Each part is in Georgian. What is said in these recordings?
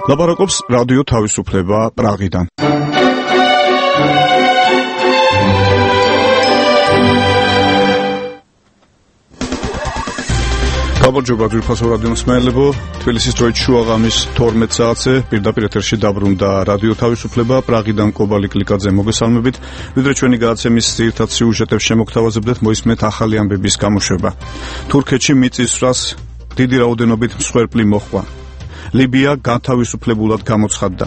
ლაპარაკობს რადიო თავისუფლება პრაღიდან. გამარჯობა ძვირფასო რადიო მსმენელებო, თბილისის დროით შუაღამის 12 საათზე პირდაპირ ეთერში დაბრუნდა რადიო თავისუფლება პრაღიდან კობალი კლიკაძე მოგესალმებით. ვიდრე ჩვენი გადაცემის ძირითად სიუჟეტებს შემოგთავაზებდეთ, მოისმენთ ახალი ამბების გამოშვება. თურქეთში მიწისძვრას დიდი რაოდენობით მსხვერპლი მოჰყვა. ლიბია განთავისუფლებულად გამოცხადდა.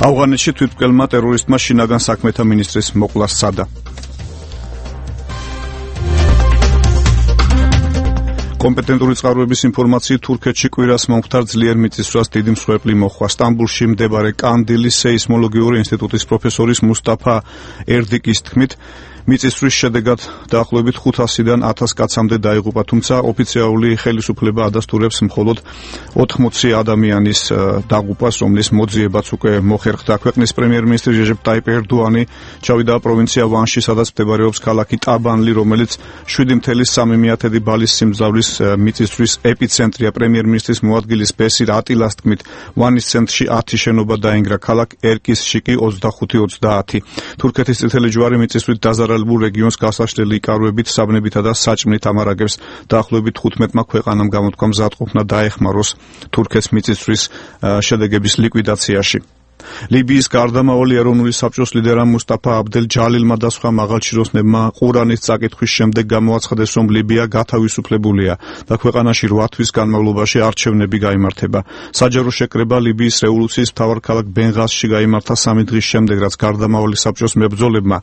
ავღანეთში თვითმკვლელმა ტერორისტმა შინაგან საქმეთა მინისტრის მოკვლა სცადა. კომპეტენტური წყაროების ინფორმაციით თურქეთში კვირას მომხდარ ძლიერ მიწისძვრას დიდი მსხვერპლი მოჰყვა. სტამბულში მდებარე კანდილის სეისმოლოგიური ინსტიტუტის პროფესორის მუსტაფა ერდიკის თქმით, მიწისძვრის შედეგად დაახლოებით 500-დან 1000 კაცამდე დაიღუპა, თუმცა ოფიციალური ხელისუფლება ადასტურებს მხოლოდ 80 ადამიანის დაღუპვას, რომლის მოძიებაც უკვე მოხერხდა. ქვეყნის პრემიერ-მინისტრი რეჟეპ ტაიპ ერდოანი ჩავიდა პროვინცია ვანში, სადაც მდებარეობს ქალაქი ტაბანლი, რომელიც 7.3 ბალის სიმძლავრის მიწისძვრის ეპიცენტრია. პრემიერ-მინისტრის მოადგილის ბესირ ატილას თქმით, ვანის ცენტრში 10 შენობა დაინგრა, ქალაქ ერკისში კი 25-30. თურქეთის წითელი ჯვარი მიწისძვრით დაზარალებულ რეგიონს გასაშლელი იკაროებით, საბნებითა და საჭმლით ამარაგებს. დაახლოებით 15 ქვეყანამ გამოთქვა მზადყოფნა დაეხმაროს თურქეთს მიწისძვრის შედეგების ლიკვიდაციაში. ლიბიის გარდამავალი ეროვნული საბჭოს ლიდერმა მუსტაფა აბდელ ჯალილმა და სხვა მაღალჩინოსნებმა ყურანის წაკითხვის შემდეგ გამოაცხადეს, რომ ლიბია გათავისუფლებულია და ქვეყანაში 8 თვის განმავლობაში არჩევნები გაიმართება. საჯარო შეკრება ლიბიის რევოლუციის მთავარ ქალაქ ბენღაზში გაიმართა 3 დღის შემდეგ, რაც გარდამავალი საბჭოს მებრძოლებმა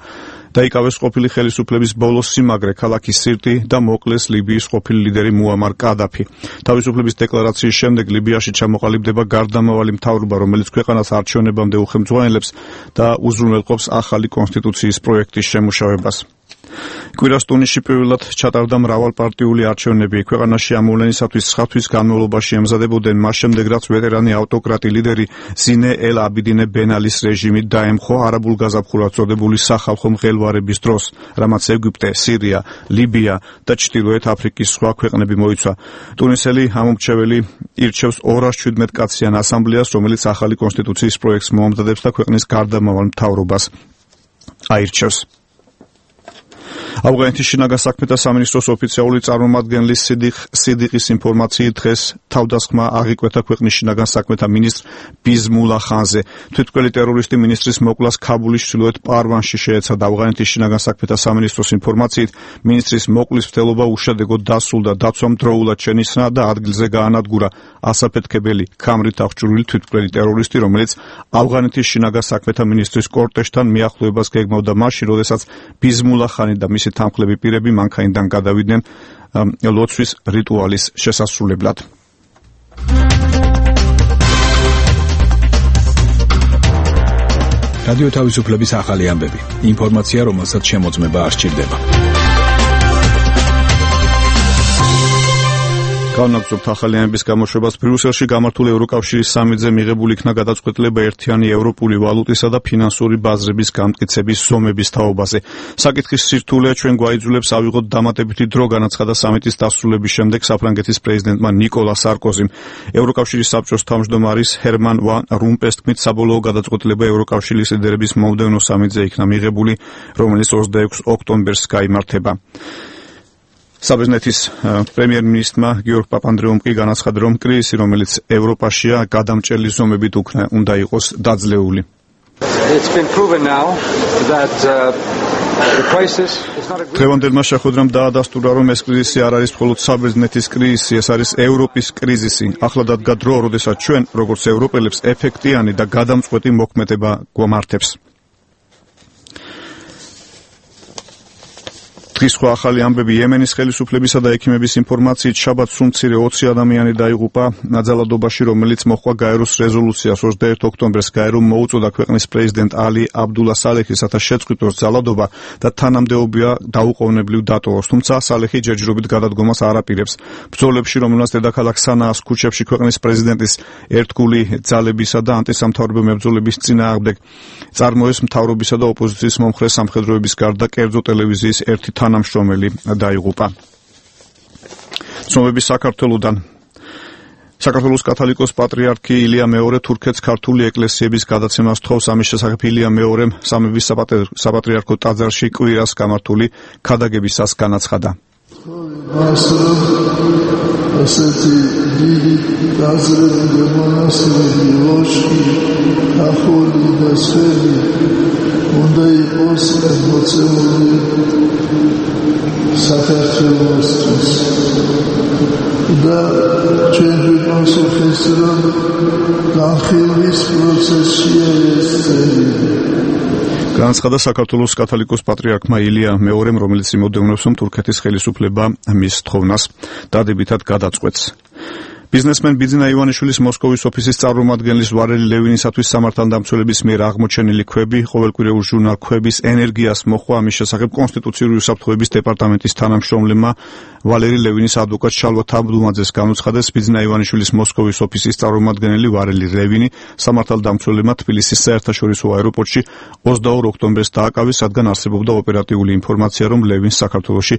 დაიკავეს ყოფილი ხელისუფლების ბოლო სიმაგრე, ქალაქის სირტი და მოკლეს ლიბიის ყოფილი ლიდერი მუამარ კადაფი. თავისუფლების დეკლარაციის შემდეგ ლიბიაში ჩამოყალიბდება გარდამავალი მთავრობა, რომელიც ქვეყანას არჩევნებამდე უხელმძღვანელებს და უზრუნველყოფს ახალი კონსტიტუციის პროექტის შემუშავებას. კვირას ტუნისში პირველად ჩატარდა მრავალპარტიული არჩევნები. ქვეყანაში ამოვლენისათვის 9 თვის განმავლობაში ემზადებოდნენ, მას შემდეგ რაც ვეტერანი ავტოკრატი ლიდერი ზინე ელ აბიდინე ბენ ალის რეჟიმი დაემხო არაბულ გაზაფხულად წოდებული სახალხო მღელვარების დროს, რამაც ეგვიპტე, სირია, ლიბია და ჩრდილოეთ აფრიკის სხვა ქვეყნები მოიცვა. ტუნისელი ამომრჩეველი ირჩევს 217 კაციან ასამბლეას, რომელიც ახალი კონსტიტუციის პროექტს მოამზადებს და ქვეყნის გარდამავალ მთავრობას აირჩევს. ავღანეთის შინაგან საქმეთა სამინისტროს ოფიციალური წარმომადგენლის სიდიყის ინფორმაციით დღეს თავდასხმა აღიკვეთა ქვეყნის შინაგან საქმეთა მინისტრ ბიზმულა ხანზე. თვითმკვლელი ტერორისტი მინისტრის მოკლას ქაბულის ჩრდილოეთ პარვანში შეეცადა. ავღანეთის შინაგან საქმეთა სამინისტროს ინფორმაციით მინისტრის მოკლის მცდელობა უშედეგოდ დასრულდა. დაცვამ დროულად შენიშნა და ადგილზე გაანადგურა ასაფეთქებელი ქამრით აღჭურვილი თვითმკვლელი ტერორისტი, რომელიც ავღანეთის შინაგან საქმეთა მინისტრის კორტეჟთან მიახლოებას გეგმავდა მაშინ, როდესაც ბიზმულა ხანი და მისი თანხლები პირები მანქანიდან გადავიდნენ ლოცვის რიტუალის შესასრულებლად. რადიო თავისუფლების ახალი ამბები. ინფორმაცია, რომელსაც შემოწმება არ სჭირდება. განაგრძობთ ახალი ამბების გამოშვებას. ბრიუსელში გამართული ევროკავშირის სამიტზე მიღებული იქნა გადაწყვეტილება ერთიანი ევროპული ვალუტისა და ფინანსური ბაზრების გამტკიცების ზომების თაობაზე. საკითხის სირთულეა ჩვენ გვაიძულებს ავიღოთ დამატებითი დრო, განაცხადა სამიტის დასრულების შემდეგ საფრანგეთის პრეზიდენტმა ნიკოლა სარკოზიმ. ევროკავშირის საბჭოს თავმჯდომარის ჰერმან ვან რომპეს თქმით, საბოლოო გადაწყვეტილება ევროკავშირის ლიდერების მომდევნო სამიტზე იქნა მიღებული, რომელიც 26 ოქტომბერს გაიმართება. საბერძნეთის პრემიერ-მინისტრმა გიორგ პაპანდრეუმ კი განაცხადა, რომ კრიზისი, რომელიც ევროპაშია, გადამჭრელი ზომებით უნდა იყოს დაძლეული. დღევანდელმა შეხვედრამ დაადასტურა, რომ ეს კრიზისი არ არის მხოლოდ საბერძნეთის კრიზისი, ეს არის ევროპის კრიზისი. ახლა დადგა დრო, როდესაც ჩვენ, როგორც ევროპელებს, ეფექტიანი და გადამწყვეტი მოქმედება გვამართებს. დღის სხვა ახალი ამბები. იემენის ხელისუფლებისა და ექიმების ინფორმაციით შაბათს უმცირე 20 ადამიანი დაიღუპა ძალადობაში, რომელიც მოჰყვა გაეროს რეზოლუციას 21 ოქტომბერს. გაერომ მოუწოდა ქვეყნის პრეზიდენტ ალი აბდულა სალეხის, რათა შეწყვიტოს ძალადობა და თანამდებობა დაუყოვნებლივ დატოვოს. თუმცა სალეხი ჯერჯერობით გადადგომას არ აპირებს. ბრძოლებში, რომელსაც დედაქალაქ სანაას ქუჩებში ქვეყნის პრეზიდენტის ერთგული ძალებისა და ანტისამთავრობო მებრძოლების წინააღმდეგ წარმოეს მთავრობისა და ოპოზიციის მომხრე სამხედროების გარდა კერძო ტელევიზიის ერთი თანამშრომელი დაიღუპა. ცნობები საქართველოდან. საქართველოს კათოლიკოს პატრიარქი ილია მეორე თურქეთს ქართული ეკლესიების გადაცემას თხოვს. ამის შესახებ ილია მეორემ სამების საპატრიარქო ტაძარში კვირას გამართული ქადაგებისას განაცხადა. ასეთი დიდი დაზრებული მონასტრები, ლოშკი, ახალი და სვები უნდა იყოს მოცემული საქართველოსთვის და ჩვენი პასუხის რომ განხილვის პროცესია ეს წელი. განაცხადა საქართველოს კათოლიკოს პატრიარქმა ილია მეორემ, რომელიც იმოდევნებს, რომ თურქეთის ხელისუფლება მის თხოვნას დადებითად გადაწყვეტს. ბიზნესმენ ბიძინა ივანიშვილის მოსკოვის ოფისის წარმომადგენლის ვარელი ლევინისათვის სამართალდამცველების მიერ აღმოჩენილი ქვები, ყოველკვირეულ ჟურნალ ქვების ენერგიას მოხვა. ამის შესახებ კონსტიტუციური უსაფრთხოების დეპარტამენტის თანამშრომლებმა ვალერი ლევინის ადვოკატ შალვა თაბდუმაძეს განუცხადეს, ბიძინა ივანიშვილის მოსკოვის ოფისის წარმომადგენელი ვარელი ლევინი სამართალდამცველებმა თბილისის საერთაშორისო აეროპორტში 22 ოქტომბერს დააკავეს, რადგან არსებობდა ოპერატიული ინფორმაცია, რომ ლევინს საქართველოში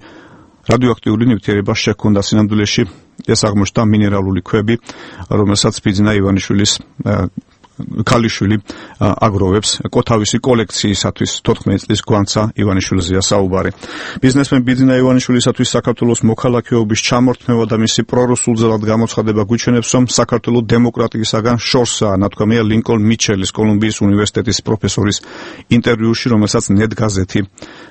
რადიოაქტიული ნივთიერება შეჰქონდა. სინამდვილეში ეს აღმოჩნდა მინერალური ქვები, რომელსაც ბიძინა ივანიშვილის ქალიშვილი აგროვებს კოთავისი კოლექციისათვის. 14 წლის გვანცა ივანიშვილზეა საუბარი. ბიზნესმენ ბიძინა ივანიშვილისათვის საქართველოს მოქალაქეობის ჩამორთმევა და მისი პრორუსულზელად გამოცხადება გვიჩვენებს, რომ საქართველოს დემოკრატიისაგან შორსაა, ნათქვამია ლინკოლნ მიჩელის კოლუმბიის უნივერსიტეტის პროფესორის ინტერვიუში, რომელსაც net გაზეთი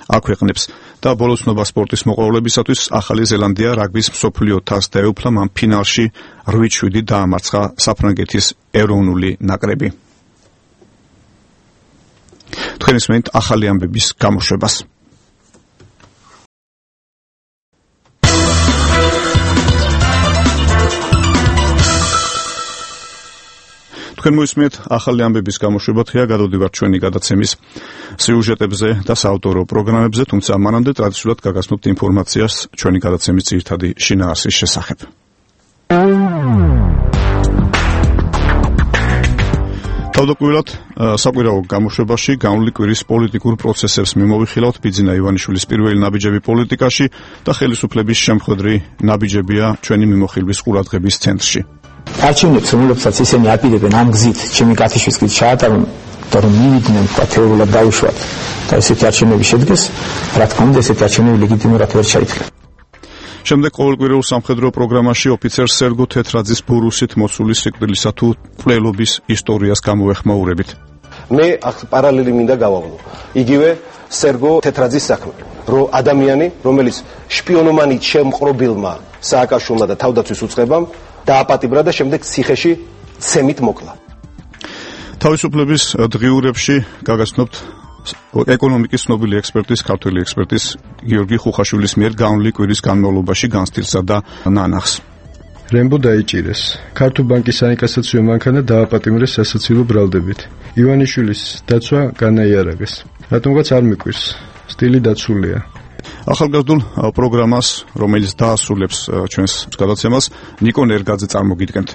აქვეყნებს. და ბოლოსნობა სპორტის მოყვარულებისათვის ახალი ზელანდია რაგბის მსოფლიო თასს დაეუფლა, მან ფინალში 8-7 დაამარცხა საფრანგეთის ეროვნული ნაკრები. თქვენ ისმენთ ახალი ამბების გამოშვებას. თქვენ მოისმენთ ახალი ამბების გამოშვება. დღეა გადავდივართ ჩვენი გადაცემის სიუჟეტებზე და საავტორო პროგრამებზე, თუმცა მანამდე ტრადიციულად გაგაცნობთ ინფორმაციას ჩვენი გადაცემის ძირითადი შინაარსის შესახებ. თავდაპირველად საკვირაო გამოშვებაში განვლილი კვირის პოლიტიკურ პროცესებს მიმოვიხილავთ. ბიძინა ივანიშვილის პირველი ნაბიჯები პოლიტიკაში და ხელისუფლების შემხედრი ნაბიჯებია ჩვენი მიმოხილვის ყურადღების ცენტრში. არჩევნებს, რომლებსაც ისინი აპირებენ ამ გზით, ჩემი კათიშვის გზით ჩაატარონ და რომ მივიდნენ თეორიულად დაუშვათ და ესეთი არჩევნები შედგეს, რა თქმა უნდა, ესეთი არჩევნები ლეგიტიმურად ვერ ჩაითვლა. შემდეგ ყოველკვირეულ სამხედრო პროგრამაში ოფიცერ სერგო თეთრაძის ბურუსით მოცული სიკვდილისა თუ მკვლელობის ისტორიას გამოვეხმაურებით. მე პარალელი მინდა გავავლო. იგივე სერგო თეთრაძის საქმე, რომ ადამიანი, რომელიც შპიონომანით შემყრობილმა სააკაშვილმა და თავდაცვის უწყებამ დააპატიმრა და შემდეგ ციხეში ცემით მოკლა. თავისუფლების დღიურებში გაგაცნობთ ეკონომიკის ცნობილი ექსპერტის, ქართველი ექსპერტის გიორგი ხუხაშვილის მიერ განვლილი კვირის განმავლობაში განსტილსა და ნანახს. რემბო დაიჭირეს. ქართულ ბანკის საინკასაციო მანქანა დააპატიმრეს სასაცილო ბრალდებით. ივანიშვილის დაცვა განაიარაღეს. რატომღაც არ მიკვირს. სტილი დაცულია. ახალგაზრდულ პროგრამას, რომელიც დაასრულებს ჩვენს გადაცემას, ნიკონ ერგაძე წარმოგიდგენთ.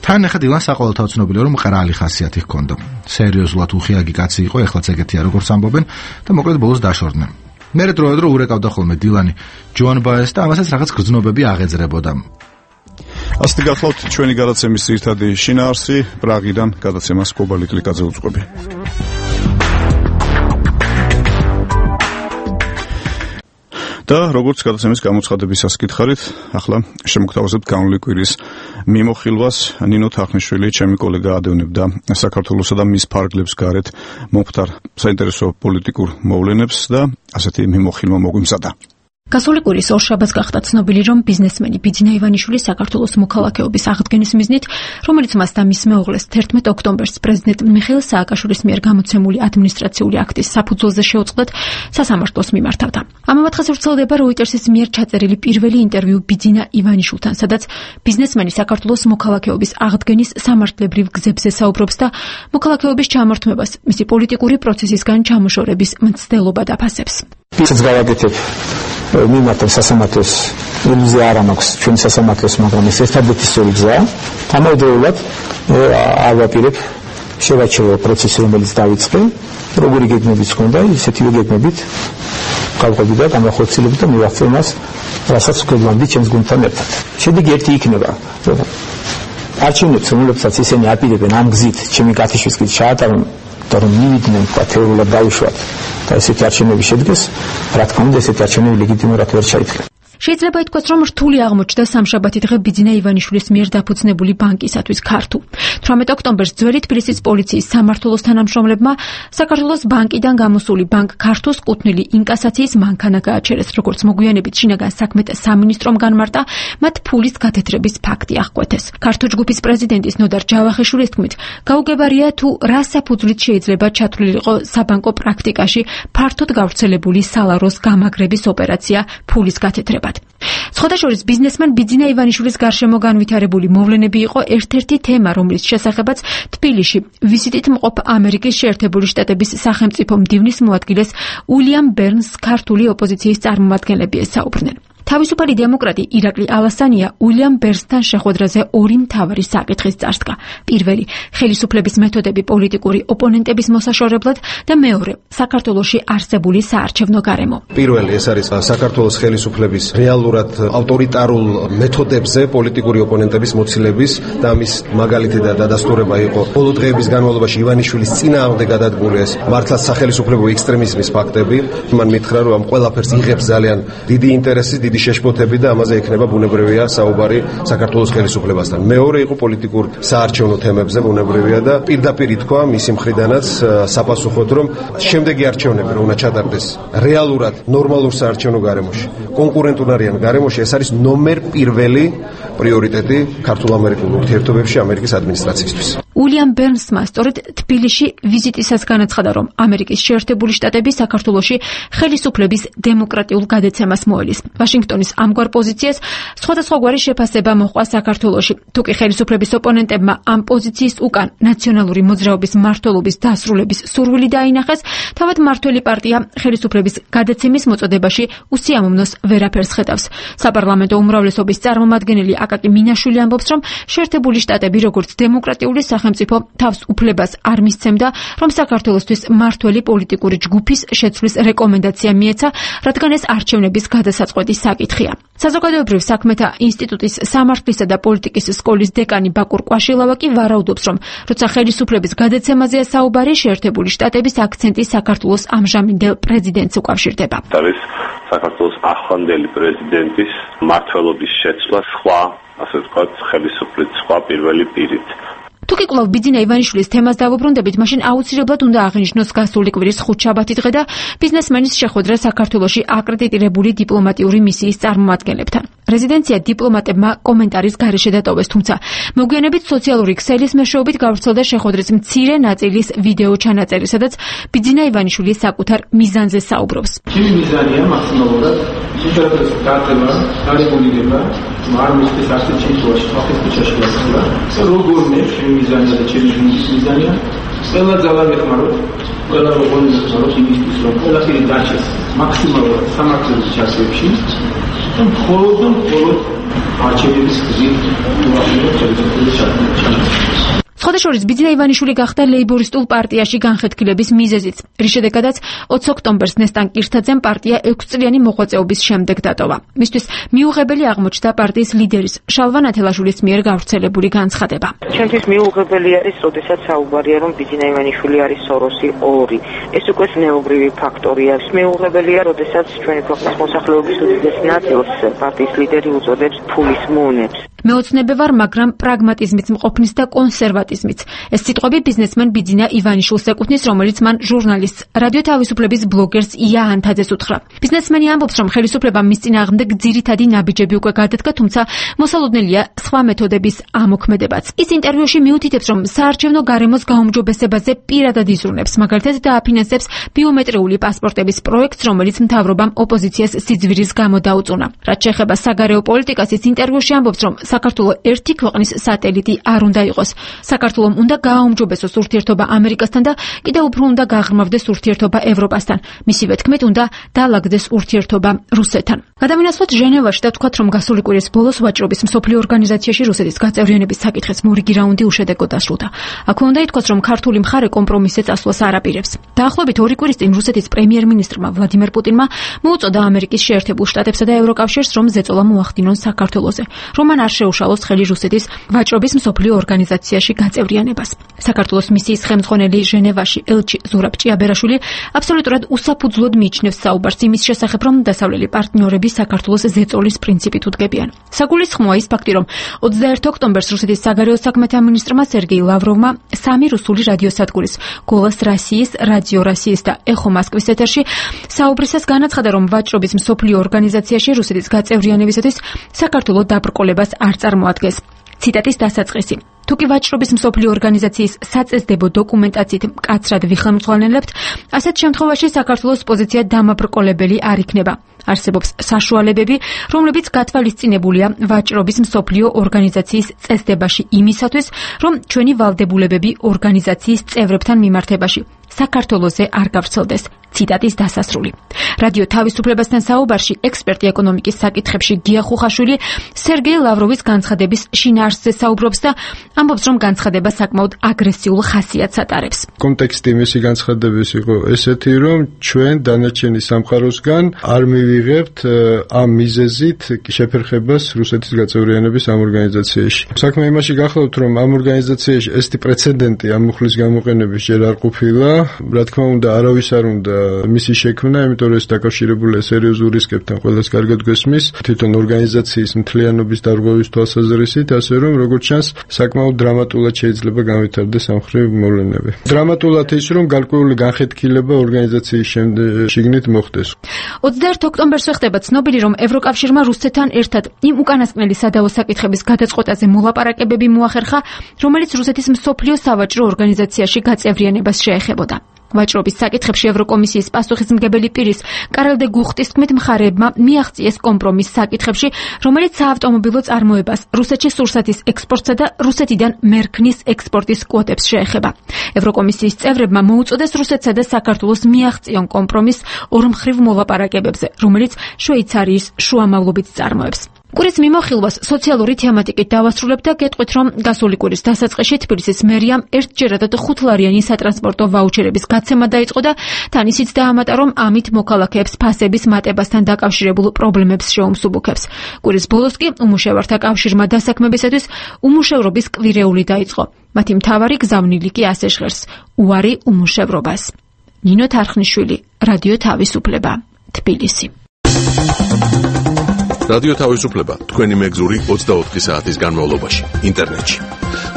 თან ახლა დილან საყოველთაო ცნობილია, რომ მყრალი ხასიათი ჰქონდა. სერიოზულად უხიაგი კაცი იყო, ეხლაც ეგეთია როგორც ამბობენ და მოკლედ ბოლოს დაშორდნენ. მერე დროდადრო ურეკავდა ხოლმე დილანი ჯოან ბაეს და ამასაც რაღაც გრძნობები აღეძრებოდა. ასეთი გახლავთ ჩვენი გადაცემის ძირითადი შინაარსი. პრაღიდან გადაცემას კობალი კლიკაძე უძღვები. და როგორც გადაცემის გამოცხადებისას გითხარით, ახლა შემოგთავაზებთ განვლილი კვირის მიმოხილვას. ნინო თახნიშვილი, ჩემი კოლეგა ადევნებდა საქართველოსა და მის ფარგლებს გარეთ მომხდარ საინტერესო პოლიტიკურ მოვლენებს და ასეთი მიმოხილვა მოგვიმზადა. გასული კვირის ორშაბათს გახდა ცნობილი, რომ ბიზნესმენი ბიძინა ივანიშვილი საქართველოს მოქალაქეობის აღდგენის მიზნით, რომელიც მას და მის მეუღლეს 11 ოქტომბერს პრეზიდენტ მიხეილ სააკაშვილის მიერ გამოცემული ადმინისტრაციული აქტის საფუძველზე შეუწყდათ, სასამართლოს მიმართავდა. ამავე დღეს ვრცელდება როიტერსის მიერ ჩაწერილი პირველი ინტერვიუ ბიძინა ივანიშვილთან, სადაც ბიზნესმენი საქართველოს მოქალაქეობის აღდგენის სამართლებრივ გზებზე საუბრობს და მოქალაქეობის ჩამორთმებას მისი პოლიტიკური პროცესისგან ჩამოშორების მცდელობად აფასებს. ისიც გავაკეთებ მიმართავ სასამართლოს ილუზია არ მაქვს ჩვენი სასამართლოს, მაგრამ ეს ერთადერთი სწორი გზაა. ამავდროულად არ ვაპირებ შევაჩერო პროცესი, რომელიც დაიწყე, როგორი გეგმებიც ჰქონდა, ისეთივე გეგმებით გავყვები და გამახორციელებ და მივახცე მას, რასაც ვქებლანდი ჩემს გუნდთან ერთად. შედეგი ერთი იქნება. არჩევნებს, რომლებსაც ისინი აპირებენ ამ გზით, ჩემი გათიშვის გზით ჩაატარონ და რომ მივიდნენ თეორიულად დავუშვათ და ესეთი არჩევნები შედგეს, რა თქმა უნდა, ესეთი არჩევნები ლეგიტიმურად ვერ ჩაითვალა. შეიძლება ითქვას, რომ რთული აღმოჩნდა სამშაბათი დღე ბიძინა ივანიშვილის მიერ დაფუძნებული ბანკისათვის ქართულ. 18 ოქტომბერს ძველი თბილისის პოლიციის სამმართველოს თანამშრომლებმა საქართველოს ბანკიდან გამოსული ბანკ ქართულს კუთვნილი ინკასაციის მანქანა გააჩერეს, როგორც მოგვიანებით შინაგან საქმეთა სამინისტრომ განმარტა, მათ ფულის გათეთრების ფაქტი აღკვეთეს. ქართულ ჯგუფის პრეზიდენტის ნოდარ ჯავახიშვილის თქმით, გაუგებარია თუ რა საფუძვლით შეიძლება ჩათვლილიყო საბანკო პრაქტიკაში ფართოდ გავრცელებული სალაროს გამაგრების ოპერაცია ფულის გათეთრება. სხვადასხვა ბიზნესმენ ბიძინა ივანიშვილის გარშემო განვითარებული მოვლენები იყო ერთ-ერთი თემა, რომლის შესახებაც თბილისში ვიზიტით მყოფ ამერიკის შეერთებული შტატების სახელმწიფო მდივნის მოადგილეს უილიამ ბერნს ქართული ოპოზიციის წარმომადგენლები ესაუბრნენ. თავისუფალი დემოკრატი ირაკლი ალასანია უილიამ ბერნსთან შეხვედრაზე ორი მთავარი საკითხის წარსდგა. პირველი, ხელისუფლების მეთოდები პოლიტიკური ოპონენტების მოსაშორებლად და მეორე, საქართველოში არსებული საარჩევნო გარემო. პირველი ეს არის საქართველოს ხელისუფლების რეალურად ავტორიტარულ მეთოდებზე პოლიტიკური ოპონენტების მოცილების და ამის მაგალითი და დადასტურება იყო ბოლო დღეების განმავლობაში ივანიშვილის წინააღმდეგ გადადგმული ეს მართლაც სახელისუფლებო ექსტრემიზმის ფაქტები. მან მითხრა, რომ ამ ყველაფერს იღებს ძალიან დიდი ინტერესი, დიდი შეშფოთები და ამაზე ექნება ბუნებრივია საუბარი საქართველოს ხელისუფლებასთან. მეორე იყო პოლიტიკურ საარჩევნო თემებზე ბუნებრივია და პირდაპირ ითქვა მისი მხრიდანაც საპასუხოდ, რომ შემდეგი არჩევნები რომ უნდა ჩატარდეს რეალურად ნორმალურ საარჩევნო გარემოში, კონკურენტუნარიან გარემოში, ეს არის ნომერ პირველი პრიორიტეტი ქართულ-ამერიკულ ურთიერთობებში ამერიკის ადმინისტრაციისთვის. უილიამ ბერნსმა სწორედ თბილისში ვიზიტისას განაცხადა, რომ ამერიკის შეერთებული შტატები საქართველოში ხელისუფლების დემოკრატიულ გადაცემას მოელის. ვაშინგტონის ამგვარ პოზიციას სხვადასხვაგვარი შეფასება მოჰყვა საქართველოში. თუკი ხელისუფლების ოპონენტებმა ამ პოზიციის უკან ნაციონალური მოძრაობის მმართველობის დასრულების სურვილი დაინახეს, თავად მმართველი პარტია ხელისუფლების გადაცემის მოწოდებაში უსიამოვნოს ვერაფერს ხედავს. საპარლამენტო უმრავლესობის წარმომადგენელი აკაკი მინაშვილი ამბობს, რომ შეერთებული შტატები როგორც დემოკრატიული სახელმწიფო თავს უფლებას არ მისცემდა, რომ საქართველოსთვის მმართველი პოლიტიკური ჯგუფის შეცვლის რეკომენდაცია მიეცა, რადგან ეს არჩევნების გადასაწყვეტი საკითხია. საზოგადოებრივ საქმეთა ინსტიტუტის სამართლისა და პოლიტიკის სკოლის დეკანი ბაკურ კვაშილავა კი ვარაუდობს, რომ როცა ხელისუფლების გადაცემაზეა საუბარი, შეერთებული შტატების აქცენტი საქართველოს ამჟამინდელ პრეზიდენტს უკავშირდება. არის საქართველოს ახლანდელი პრეზიდენტის მმართველობის შეცვლა სხვა, ასე ვთქვათ, ხელისუფლების სხვა პირველი პირით. თუკი კვლავ ბიძინა ივანიშვილის თემას დავუბრუნდებით, მაშინ აუცილებლად უნდა აღინიშნოს გასული კვირის ხუთშაბათი დღე და ბიზნესმენის შეხვედრა საქართველოში აკრედიტირებული დიპლომატიური მისიის წარმომადგენლებთან. რეზიდენცია დიპლომატებმა კომენტარის გარეშე დატოვეს, თუმცა მოგვიანებით სოციალური ქსელის მეშვეობით გავრცელდა შეხვედრის მცირე ნაწილის ვიდეო ჩანაწერი, სადაც ბიძინა ივანიშვილი საკუთარ მიზანზე საუბრობს. ჩემი მიზანია მაქსიმალურად სიჩქარის გატევა, გარეგულირება, არ მისთვის ასეთ შემთხვევაში ხალხის ქუჩაში გასვლა. როგორმე ჩემი მიზანია და ჩემი მიზანია ყველა ძალა მეხმაროთ, ყველა როგორი მეხმაროთ იმისთვის, რომ ყველაფერი დაჩეს მაქსიმალურად სამართლის ჩასვებში. მხოლოდ არჩევნების გზით უახლოებით ხელისუფლების ჩატარებას. სხვადასხვა ბიძინა ივანიშვილი გახდა ლეიბორისტულ პარტიაში განხეთქილების მიზეზიც, რის შედეგადაც 20 ოქტომბერს ნესტან კირთაძემ პარტია 6 წლიანი მოღვაწეობის შემდეგ დატოვა. მისთვის მიუღებელი აღმოჩნდა პარტიის ლიდერის შალვა ნათელაშვილის მიერ გავრცელებული განცხადება. ჩემთვის მიუღებელი არის, როდესაც საუბარია, რომ ბიძინა ივანიშვილი არის სოროსი 2. ეს უკვე ზნეობრივი ფაქტორია. მიუღებელია, როდესაც ჩვენი ქვეყნის მოსახლეობის უდიდეს ნაწილს პარტიის ლიდერი უწოდებს ფულის მუნებს. მეოცნებე ვარ, მაგრამ პრაგმატიზმიც მყოფნის და კონსერვატიზმიც. ეს სიტყვები ბიზნესმენ ბიძინა ივანიშვილს ეკუთვნის, რომელიც მან ჟურნალისტს, რადიო თავისუფლების ბლოგერს ია ანთაძეს უთხრა. ბიზნესმენი ამბობს, რომ ხელისუფლებამ მის წინააღმდეგ ძირითადი ნაბიჯები უკვე გადადგა, თუმცა მოსალოდნელია სხვა მეთოდების ამოქმედებაც. ის ინტერვიუში მიუთითებს, რომ საარჩევნო გარემოს გაუმჯობესებაზე პირადად იზრუნებს, მაგალითად დააფინანსებს ბიომეტრიული პასპორტების პროექტს, რომელიც მთავრობამ ოპოზიციას სიძვირის გამო დაუწუნა. რაც შეეხება საგარეო პოლიტიკას, ის ინტერვიუში ამბობს, რომ საქართველოს ერთი ქვეყნის სატელიტი არ უნდა იყოს. საქართველოს უნდა გააუმჯობესოს ურთიერთობა ამერიკასთან და კიდევ უფრო უნდა გაღრმავდეს ურთიერთობა ევროპასთან. მისივე თქმით, უნდა დაალაგდეს ურთიერთობა რუსეთთან. გადავინაცვლოთ ჟენევაში და ვთქვათ, რომ გასული კვირის ბოლოს ვაჭრობის მსოფლიო ორგანიზაციაში რუსეთის გაწევრიანების საკითხის მორიგი რაუნდი უშედეგო დასრულდა. აქვე უნდა ითქვას, რომ ქართული მხარე კომპრომისზე წასვლას არ აპირებს. დაახლოებით 2 კვირის წინ რუსეთის პრემიერ-მინისტრმა ვლადიმერ პუტინმა მოუწოდა ამერიკის შეერთებულ შტატებსა და ევროკავშირს, რომ ზეწოლა მოახდინონ საქართველოზე. რომან არ შეუშალოს ხელი რუსეთის ვაჭრობის მსოფლიო ორგანიზაციაში გაწევრიანებას. საქართველოს მისიის ხელმძღვანელი ჟენევაში ელჩი ზურაბ ჭიაბერაშვილი აბსოლუტურად უსაფუძვლოდ მიიჩნევს საუბარს იმის შესახებ, რომ დასავლელი პარტნიორები საქართველოს ზეწოლის პრინციპით უდგებიან. საგულისხმოა ის ფაქტი, რომ 21 ოქტომბერს რუსეთის საგარეო საქმეთა მინისტრმა სერგეი ლავროვმა სამი რუსული რადიოსადგურის გოლას რასიის, რადიო რასიის და ეხო მოსკვის ეთერში საუბრისას განაცხადა, რომ ვაჭრობის მსოფლიო ორგანიზაციაში რუსეთის გაწევრიანებისათვის საქართველოს დაბრკოლებას არ წარმოადგენს. ციტატის დასაწყისი. თუკი ვაჭრობის მსოფლიო ორგანიზაციის საწესდებო დოკუმენტაციით მკაცრად ვიხელმძღვანელებთ, ასეთ შემთხვევაში საქართველოს პოზიცია დამაბრკოლებელი არ იქნება. არსებობს საშუალებები, რომლებიც გათვალისწინებულია ვაჭრობის მსოფლიო ორგანიზაციის წესდებაში იმისათვის, რომ ჩვენი ვალდებულებები ორგანიზაციის წევრებთან მიმართებაში საქართველოზე არ გავრცელდეს. ციტატის დასასრული. რადიო თავისუფლებასთან საუბარში ექსპერტი ეკონომიკის საკითხებში გია ხუხაშვილი სერგეი ლავროვის განცხადების შინაარსზე საუბრობს და ამბობს, რომ განცხადება საკმაოდ აგრესიულ ხასიათს ატარებს. კონტექსტი მისი განცხადების იყო ესეთი, რომ ჩვენ დანარჩენი სამყაროსგან არ მივიღებთ ამ მიზეზით შეფერხებას რუსეთის გაწევრიანების ამ ორგანიზაციაში. საქმე იმაში გახლავთ, რომ ამ ორგანიზაციაში ესეთი პრეცედენტი ამ მუხლის გამოყენების ჯერ არ ყოფილა. რა თქმა უნდა, არავის არ უნდა მისი შექმნა, იმიტომ რომ ეს დაკავშირებულია სერიოზულ რისკებთან, ყველას კარგად გვესმის, თვითონ ორგანიზაციის მთლიანობის დარღვევის თვალსაზრისით, ასე რომ როგორც ჩანს, საკმაოდ დრამატულად შეიძლება განვითარდეს ამ მხრივ მოვლენები. დრამატულად ის, რომ გარკვეული განხეთქილება ორგანიზაციის შიგნით მოხდეს. 21 ოქტომბერს ხდება ცნობილი, რომ ევროკავშირმა რუსეთთან ერთად იმ უკანასკნელი სადავო საკითხების გადაწყვეტაზე მოლაპარაკებები მოახერხა, რომელიც რუსეთის მსოფლიო სავაჭრო ორგანიზაციაში გაწევრიანებას შეეხებოდა. ვაჭრობის საკითხებში ევროკომისიის პასუხისმგებელი პირის კარელ დე გუხტის თქმით, მხარეებმა მიაღწიეს კომპრომის საკითხებში, რომელიც საავტომობილო წარმოებას, რუსეთში სურსათის ექსპორტსა და რუსეთიდან მერქნის ექსპორტის კვოტებს შეეხება. ევროკომისიის წევრებმა მოუწოდეს რუსეთსა და საქართველოს მიაღწიონ კომპრომის ორმხრივ მოლაპარაკებებზე, რომელიც შვეიცარიის შუამავლობით წარმოებს. კვირის მიმოხილვას სოციალური თემატიკით დავასრულებ და გეტყვით, რომ გასული კვირის დასაწყისში თბილისის მერიამ ერთჯერადად 5 ლარიანი სატრანსპორტო ვაუჩერების გაცემა დაიწყო და თან ისიც დაამატა, რომ ამით მოქალაქეებს ფასების მატებასთან დაკავშირებულ პრობლემებს შეუმსუბუქებს. კვირის ბოლოს კი უმუშევართა კავშირმა დასაქმებისათვის უმუშევრობის კვირეული დაიწყო. მათი მთავარი გზავნილი კი ასე ჟღერს: უარი უმუშევრობას. ნინო თარხნიშვილი, რადიო თავისუფლება, თბილისი. რადიო თავისუფლება, თქვენი მეგზური 24 საათის განმავლობაში, ინტერნეტში.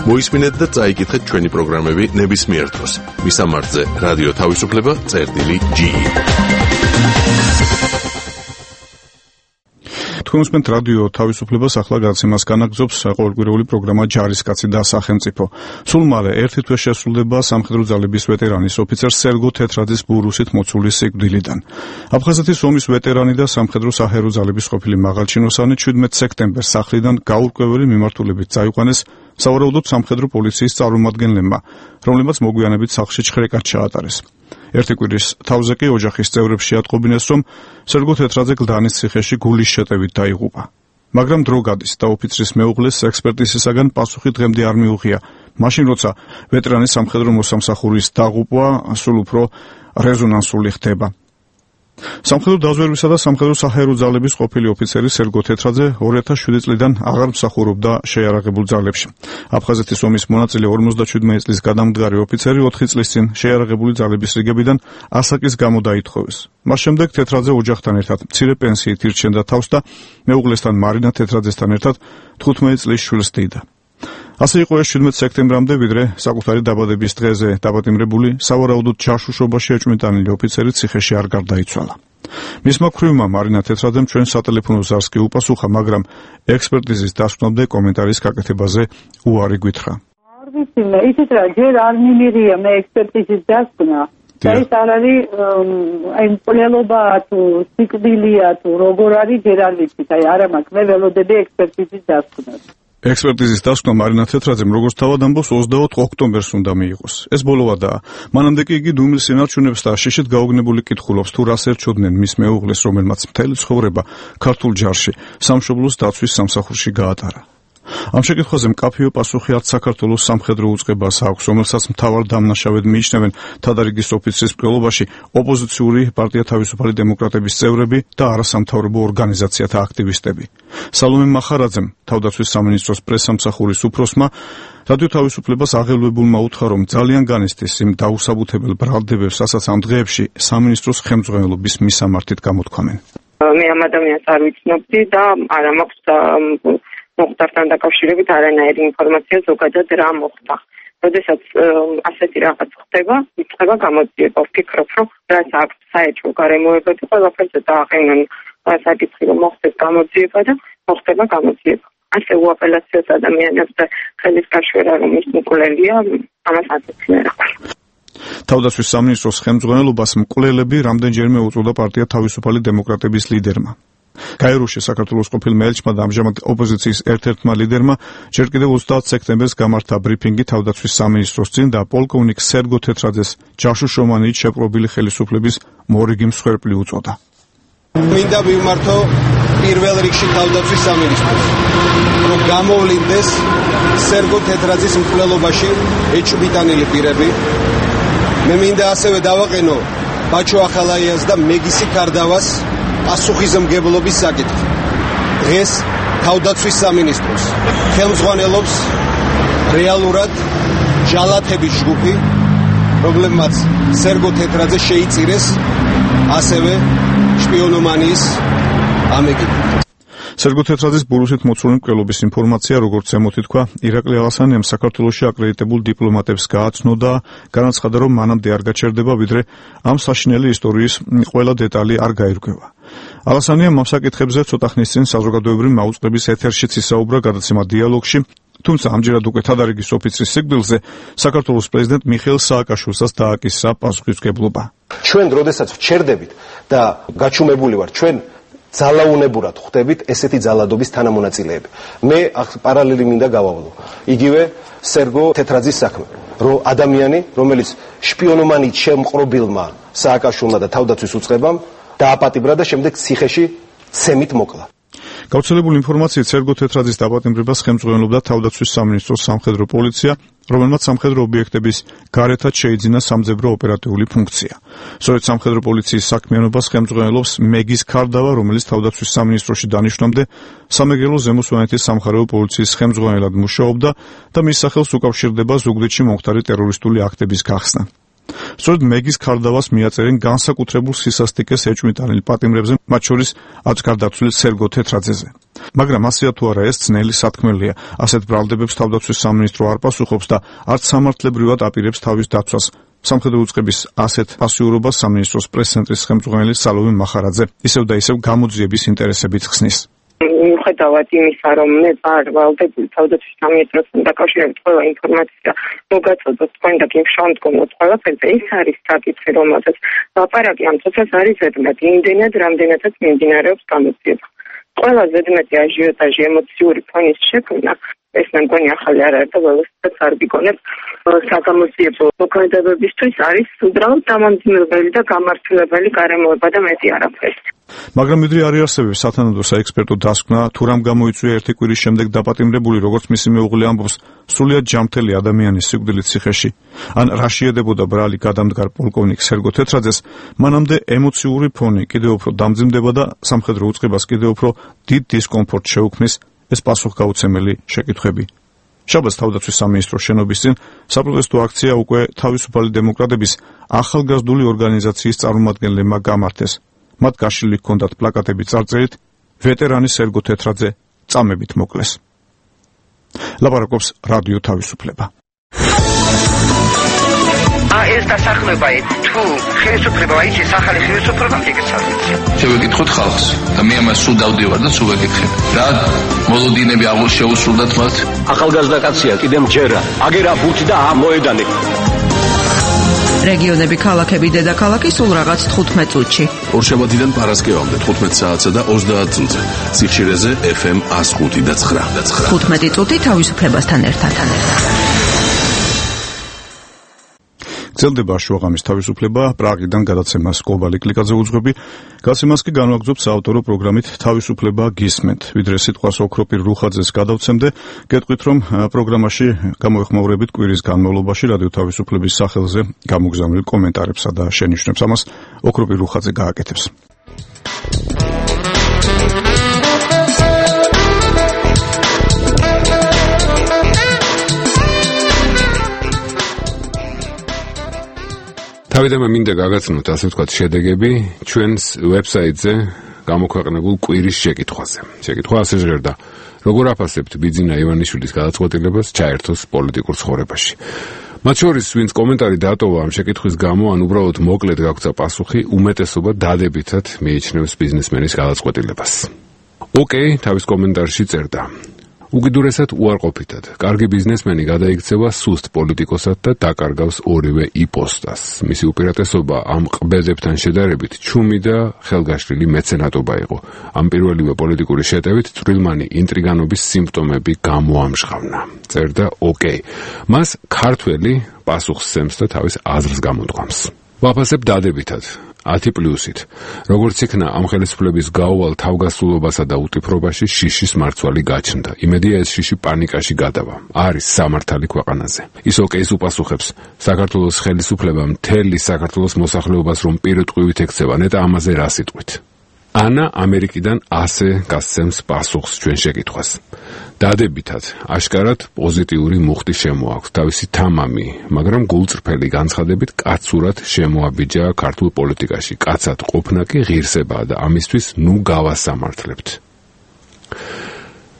მოისმინეთ და წაიკითხეთ ჩვენი პროგრამები ნებისმიერ დროს. მისამართზე რადიო თავისუფლება.ge. თქვენ უსმენთ რადიო თავისუფლებას, ახლა გაცემას განაგრძობს ყოველკვირეული პროგრამა ჯარისკაცი და სახელმწიფო. სულ მალე ერთი თვე შესრულდება სამხედრო ძალების ვეტერანის ოფიცერ სერგო თეთრაძის ბურუსით მოცული სიკვდილიდან. აფხაზეთის ომის ვეტერანი და სამხედრო საჰერო ძალების ყოფილი მაღალჩინოსანი 17 სექტემბერს სახლიდან გაურკვეველი მიმართულებით წაიყვანეს სავარაუდოდ სამხედრო პოლიციის წარმომადგენლებმა, რომლებმაც მოგვიანებით სახლში ჩხრეკად ჩაატარეს. ერთი კვირის თავზე კი ოჯახის წევრებს შეატყობინეს, რომ სერგო თეთრაძე გლდანის ციხეში გულის შეტევით დაიღუპა. მაგრამ დრო გადის და ოფიცრის მეუღლეს ექსპერტიზისაგან პასუხი დღემდე არ მიუღია. მაშინ როცა ვეტერანის სამხედრო მოსამსახურის დაღუპვა სულ უფრო რეზონანსული ხდება. სამხედრო დაზვერვისა და სამხედრო საჰაერო ძალების ყოფილი ოფიცერი სერგო თეთრაძე 2007 წლიდან აღარ მსახურობდა შეიარაღებულ ძალებში. აფხაზეთის ომის მონაწილე 57 წლის გადამდგარი ოფიცერი 4 წლის წინ შეიარაღებული ძალების რიგებიდან ასაკის გამო დაითხოვეს. მას შემდეგ თეთრაძე ოჯახთან ერთად მცირე პენსიით ირჩენდა თავს და მეუღლესთან მარინა თეთრაძესთან ერთად 15 წლის შვილს დიდა. ასე იყო ეს 17 სექტემბრამდე, ვიდრე საკუთარი დაბადების დღეზე დაბადიმრებული სავარაუდოდ ჯაშუშობაში ეჭვმიტანილი ოფიცერი ციხეში არ გარდაიცვალა. მისმა ქვრივმა მარინა თეთრაძემ ჩვენ სატელეფონო ზარს კი უპასუხა, მაგრამ ექსპერტიზის დასკვნამდე კომენტარის გაკეთებაზე უარი გვითხრა. არ ვიცი, ისიც რა ჯერ არ მიმიღია მე ექსპერტიზის დასკვნა. და ეს არ არის აი მკვლელობა თუ სიკვდილია თუ როგორ არის ჯერ არ ვიცი, აი არა მაქვს, მე ველოდები ექსპერტიზის დასკვნას. ექსპერტიზის დასკვნა მარინა თეთრაძემ როგორც თავად ამბობს 24 ოქტომბერს უნდა მიიღოს. ეს ბოლოვადაა. მანამდე კი იგი დუმის სინარჩუნებს და შიშით გაოგნებული კითხულობს, თუ რას ერჩოდნენ მის მეუღლეს, რომელმაც მთელი ცხოვრება ქართულ ჯარში სამშობლოს დაცვის სამსახურში გაატარა. ამ შეკითხვაზე მკაფიო პასუხი არც საქართველოს სამხედრო უწყებას აქვს, რომელსაც მთავარ დამნაშავედ მიიჩნევენ თადარიგის ოფიცრის მკვლელობაში ოპოზიციური პარტია თავისუფალი დემოკრატების წევრები და არასამთავრობო ორგანიზაციათა აქტივისტები. სალომე მახარაძემ, თავდაცვის სამინისტროს პრესსამსახურის უფროსმა, რადიო თავისუფლებას აღელვებულმა უთხრა, რომ ძალიან განიცდის იმ დაუსაბუთებელ ბრალდებებს, რასაც ამ დღეებში სამინისტროს ხელმძღვანელობის მისამართით გამოთქვამენ. მე ამ ადამიანს არ ვიცნობდი და არ მაქვს მოხდართან დაკავშირებით არანაირი ინფორმაცია ზოგადად რა მოხდა. როდესაც ასეთი რაღაც ხდება, იწყება გამოძიება. ვფიქრობ, რომ რაც აქვს საერთო გარემოებები, ყველაფერზე დააყენონ საკითხი, რომ მოხდეს გამოძიება და მოხდება გამოძიება. ასე უაპელაციოს ადამიანებს და ხელის გაშვერა, რომ ის მკვლელია, ამას აწეცია რა. თავდაცვის სამინისტროს ხელმძღვანელობას მკვლელები რამდენჯერმე უწოდა პარტია თავისუფალი დემოკრატების ლიდერმა. გაეროში საქართველოს ყოფილმა ელჩმა და ამჟამად ოპოზიციის ერთ-ერთმა ლიდერმა ჯერ კიდევ 30 სექტემბერს გამართა ბრიფინგი თავდაცვის სამინისტროს წინ და პოლკოვნიკ სერგო თეთრაძეს ჯაშუშომანით შეპყრობილი ხელისუფლების მორიგი მსხვერპლი უწოდა. მინდა ვიმართო პირველ რიგში თავდაცვის სამინისტროს, რომ გამოვლინდეს სერგო თეთრაძის მკვლელობაში ეჭვმიტანილი პირები. მე მინდა ასევე დავაყენო ბაჩო ახალაიას და მეგისი კარდავას პასუხისმგებლობის საკითხი. დღეს თავდაცვის სამინისტროს ხელმძღვანელობს რეალურად ჯალათების ჯგუფი, რომლებმაც სერგო თეთრაძე შეიწირეს ასევე შპიონომანიის ამեկით. სერგო თეთრაძის ბურუსით მოცული მკვლელობის ინფორმაცია, როგორც ემოთი თქვა, ირაკლი ალასანიამ საქართველოში აკრედიტებულ დიპლომატებს გააცნო და განაცხადა, რომ მანამდე არ გაჩერდება, ვიდრე ამ საშინელი ისტორიის ყველა დეტალი არ გაირკვევა. ალასანიამ ამ საკითხებზე ცოტა ხნის წინ საზოგადოებრივი მაუწყებლობის ეთერშიც ისაუბრა გადაცემა დიალოგში, თუმცა ამჯერად უკვე თადარიგის ოფიცრის სიკვდილზე საქართველოს პრეზიდენტ მიხეილ სააკაშვილსაც დააკისრა პასუხისმგებლობა. ჩვენ როდესაც ვჩერდებით და გაჩუმებული ვარ, ჩვენ ძალაუნებურად ხვდებით ესეთი ძალადობის თანამონაწილეები. მე პარალელი მინდა გავავლო. იგივე სერგო თეთრაძის საქმე, რომ ადამიანი, რომელიც შპიონომანით შემყრობილმა სააკაშვილმა და თავდაცვის უწყებამ დააპატიმრა და შემდეგ ციხეში ცემით მოკლა. გავრცელებული ინფორმაციით სერგო თეთრაძის დაპატიმრებას ხელმძღვანელობდა თავდაცვის სამინისტროს სამხედრო პოლიცია, რომელმაც სამხედრო ობიექტების გარეთაც შეიძინა სამძებრო ოპერატიული ფუნქცია. სწორედ სამხედრო პოლიციის საქმიანობას ხელმძღვანელობს მეგის კარდავა, რომელიც თავდაცვის სამინისტროში დანიშნამდე სამეგრელო ზემო სვანეთის სამხარეო პოლიციის ხელმძღვანელად მუშაობდა და მის სახელს უკავშირდება ზუგდიდში მომხდარი ტერორისტული აქტების გახსნა. სწორედ მეგის კარდავას მიაწერენ განსაკუთრებულ სისასტიკეს ეჭვმიტანილ პატიმრებზე, მათ შორის აწკარდაცვლილ სერგო თეთრაძეზე. მაგრამ ასეა თუ არა ეს ძნელი სათქმელია, ასეთ ბრალდებებს თავდაცვის სამინისტრო არ პასუხობს და არც სამართლებრივად აპირებს თავის დაცვას. სამხედრო უწყების ასეთ პასიურობას სამინისტროს პრეს-ცენტრის ხელმძღვანელი სალომე მახარაძე ისევ და ისევ გამოძიების ინტერესებით ხსნის. მიუხედავად იმისა, რომ მე ვარ ვალდებული თავდაცვის სამინისტროსთან დაკავშირებით ყველა ინფორმაცია მოგაწოდოთ თქვენ და გიმშავმდგომოთ ყველაფერზე, ის არის საკითხი, რომელსაც ლაპარაკი ამ წუთას არის ზედმეტი, იმდენად, რამდენადაც მიმდინარეობს გამოძიება. ყველა ზედმეტი აჟიოტაჟი, ემოციური ფონის შექმნა, ეს მე მგონი ახალი არ არის და ველოსიპედს არ ვიგონებ, საგამოძიებო მოქმედებებისთვის არის უბრალოდ დამამძიმებელი და გამართლებელი გარემოება და მეტი არაფერი. მაგრამ მიდრე არ იარსებებს სათანადო საექსპერტო დასკვნა, თუ რამ გამოიწვია ერთი კვირის შემდეგ დაპატიმრებული, როგორც მისი მეუღლე ამბობს, სრულიად ჯამთელი ადამიანის სიკვდილით ციხეში. ან რა შეედებოდა ბრალი გადამდგარ პოლკოვნიკ სერგო თეთრაძეს, მანამდე ემოციური ფონი კიდევ უფრო დამძიმდება და სამხედრო უწყებას კიდევ უფრო დიდ დისკომფორტს შეუქმნის ეს პასუხგაუცემელი შეკითხვები. შაბათს თავდაცვის სამინისტროს შენობის წინ საპროტესტო აქცია უკვე თავისუფალი დემოკრატების ახალგაზრდული ორგანიზაციის წარმომადგენლებმა გამართეს. მათ გაშლილი ჰქონდათ პლაკატები წარწერით ვეტერანი სერგო თეთრაძე წამებით მოკლეს. ლაპარაკობს რადიო თავისუფლება. ეს დასახლება თუ ხელისუფლება აიჩეს ახალი ხელისუფლება ეკეცავით. შევეკითხოთ ხალხს და მე ამას სულ დავდივარ და სულ ვეკითხებ. რა მოლოდინები აღარ შეუსრულდათ მათ? ახალგაზრდა კაცია, კიდე მჯერა. აგერა ბურთი და მოედანი. რეგიონები, ქალაქები, დედაქალაქი სულ რაღაც 15 წუთში. ორშაბათიდან პარასკევამდე 15 საათსა და 30 წუთზე. სიხშირეზე FM 105 და 9. 15 წუთი თავისუფლებასთან ერთად. გრძელდება შუაღამის თავისუფლება, პრაღიდან გადაცემას კობალი კლიკაძე უძღვები, გაცემას კი განვაგრძობ საავტორო პროგრამით თავისუფლება გისმენთ. ვიდრე სიტყვას ოქროპირ რუხაძეს გადავცემდე, გეტყვით რომ პროგრამაში გამოეხმაურებით კვირის განმავლობაში რადიო თავისუფლების სახელზე გამოგზავნილ კომენტარებსა და შენიშვნებს. ამას ოქროპირ რუხაძე გააკეთებს. თავიდანვე მინდა გაგაცნოთ, ასე ვთქვათ, შედეგები ჩვენს ვებსაიტზე გამოქვეყნებულ კვირის შეკითხვაზე. შეკითხვა ასე ჟღერდა: როგორ აფასებთ ბიძინა ივანიშვილის გადაწყვეტილებას ჩაერთოს პოლიტიკურ ცხოვრებაში? მათ შორის, ვინც კომენტარი დაატოვა ამ შეკითხვის გამო, ან უბრალოდ მოკლედ გაგვცა პასუხი, უმეტესობა დადებითად მიიჩნევს ბიზნესმენის გადაწყვეტილებას. ოკეი, თავის კომენტარში წერდა: უკიდურესად უარყოფითად, კარგი ბიზნესმენი გადაიქცევა სუსტ პოლიტიკოსად და დაკარგავს ორივე იპოსტას. მისი უპირატესობა ამ ყბელებთან შედარებით ჩუმი და ხელგაშლილი მეცენატობა იყო. ამ პირველივე პოლიტიკური შეტევით წვრილმანი ინტრიგანობის სიმპტომები გამოამჟღავნა. წერდა ოკეი. მას ქართველი პასუხს სცემს და თავის აზრს გამოთქვამს. ვაფასებ დადებითად. 10+-ით. როგორც იქნა ამ ხელისუფლების გაუვალ თავგასულობასა და უტიფრობაში შიშის მარცვალი გაჩნდა. იმედია ეს შიში პანიკაში გადავა. არის სამართალი ქვეყანაზე. ის ოკეის უპასუხებს: საქართველოს ხელისუფლება მთელი საქართველოს მოსახლეობას რომ პირუტყვივით ექცევა, ნეტა ამაზე რა სიტყვით? ანა ამერიკიდან ასე გასცემს პასუხს ჩვენ შეკითხვას. დადებითად, აშკარად პოზიტიური მუხტი შემოაქვს თავისი თამამი, მაგრამ გულწრფელი განცხადებით კაცურად შემოაბიჯა ქართულ პოლიტიკაში. კაცად ყოფნა კი ღირსებაა და ამისთვის ნუ გავასამართლებთ.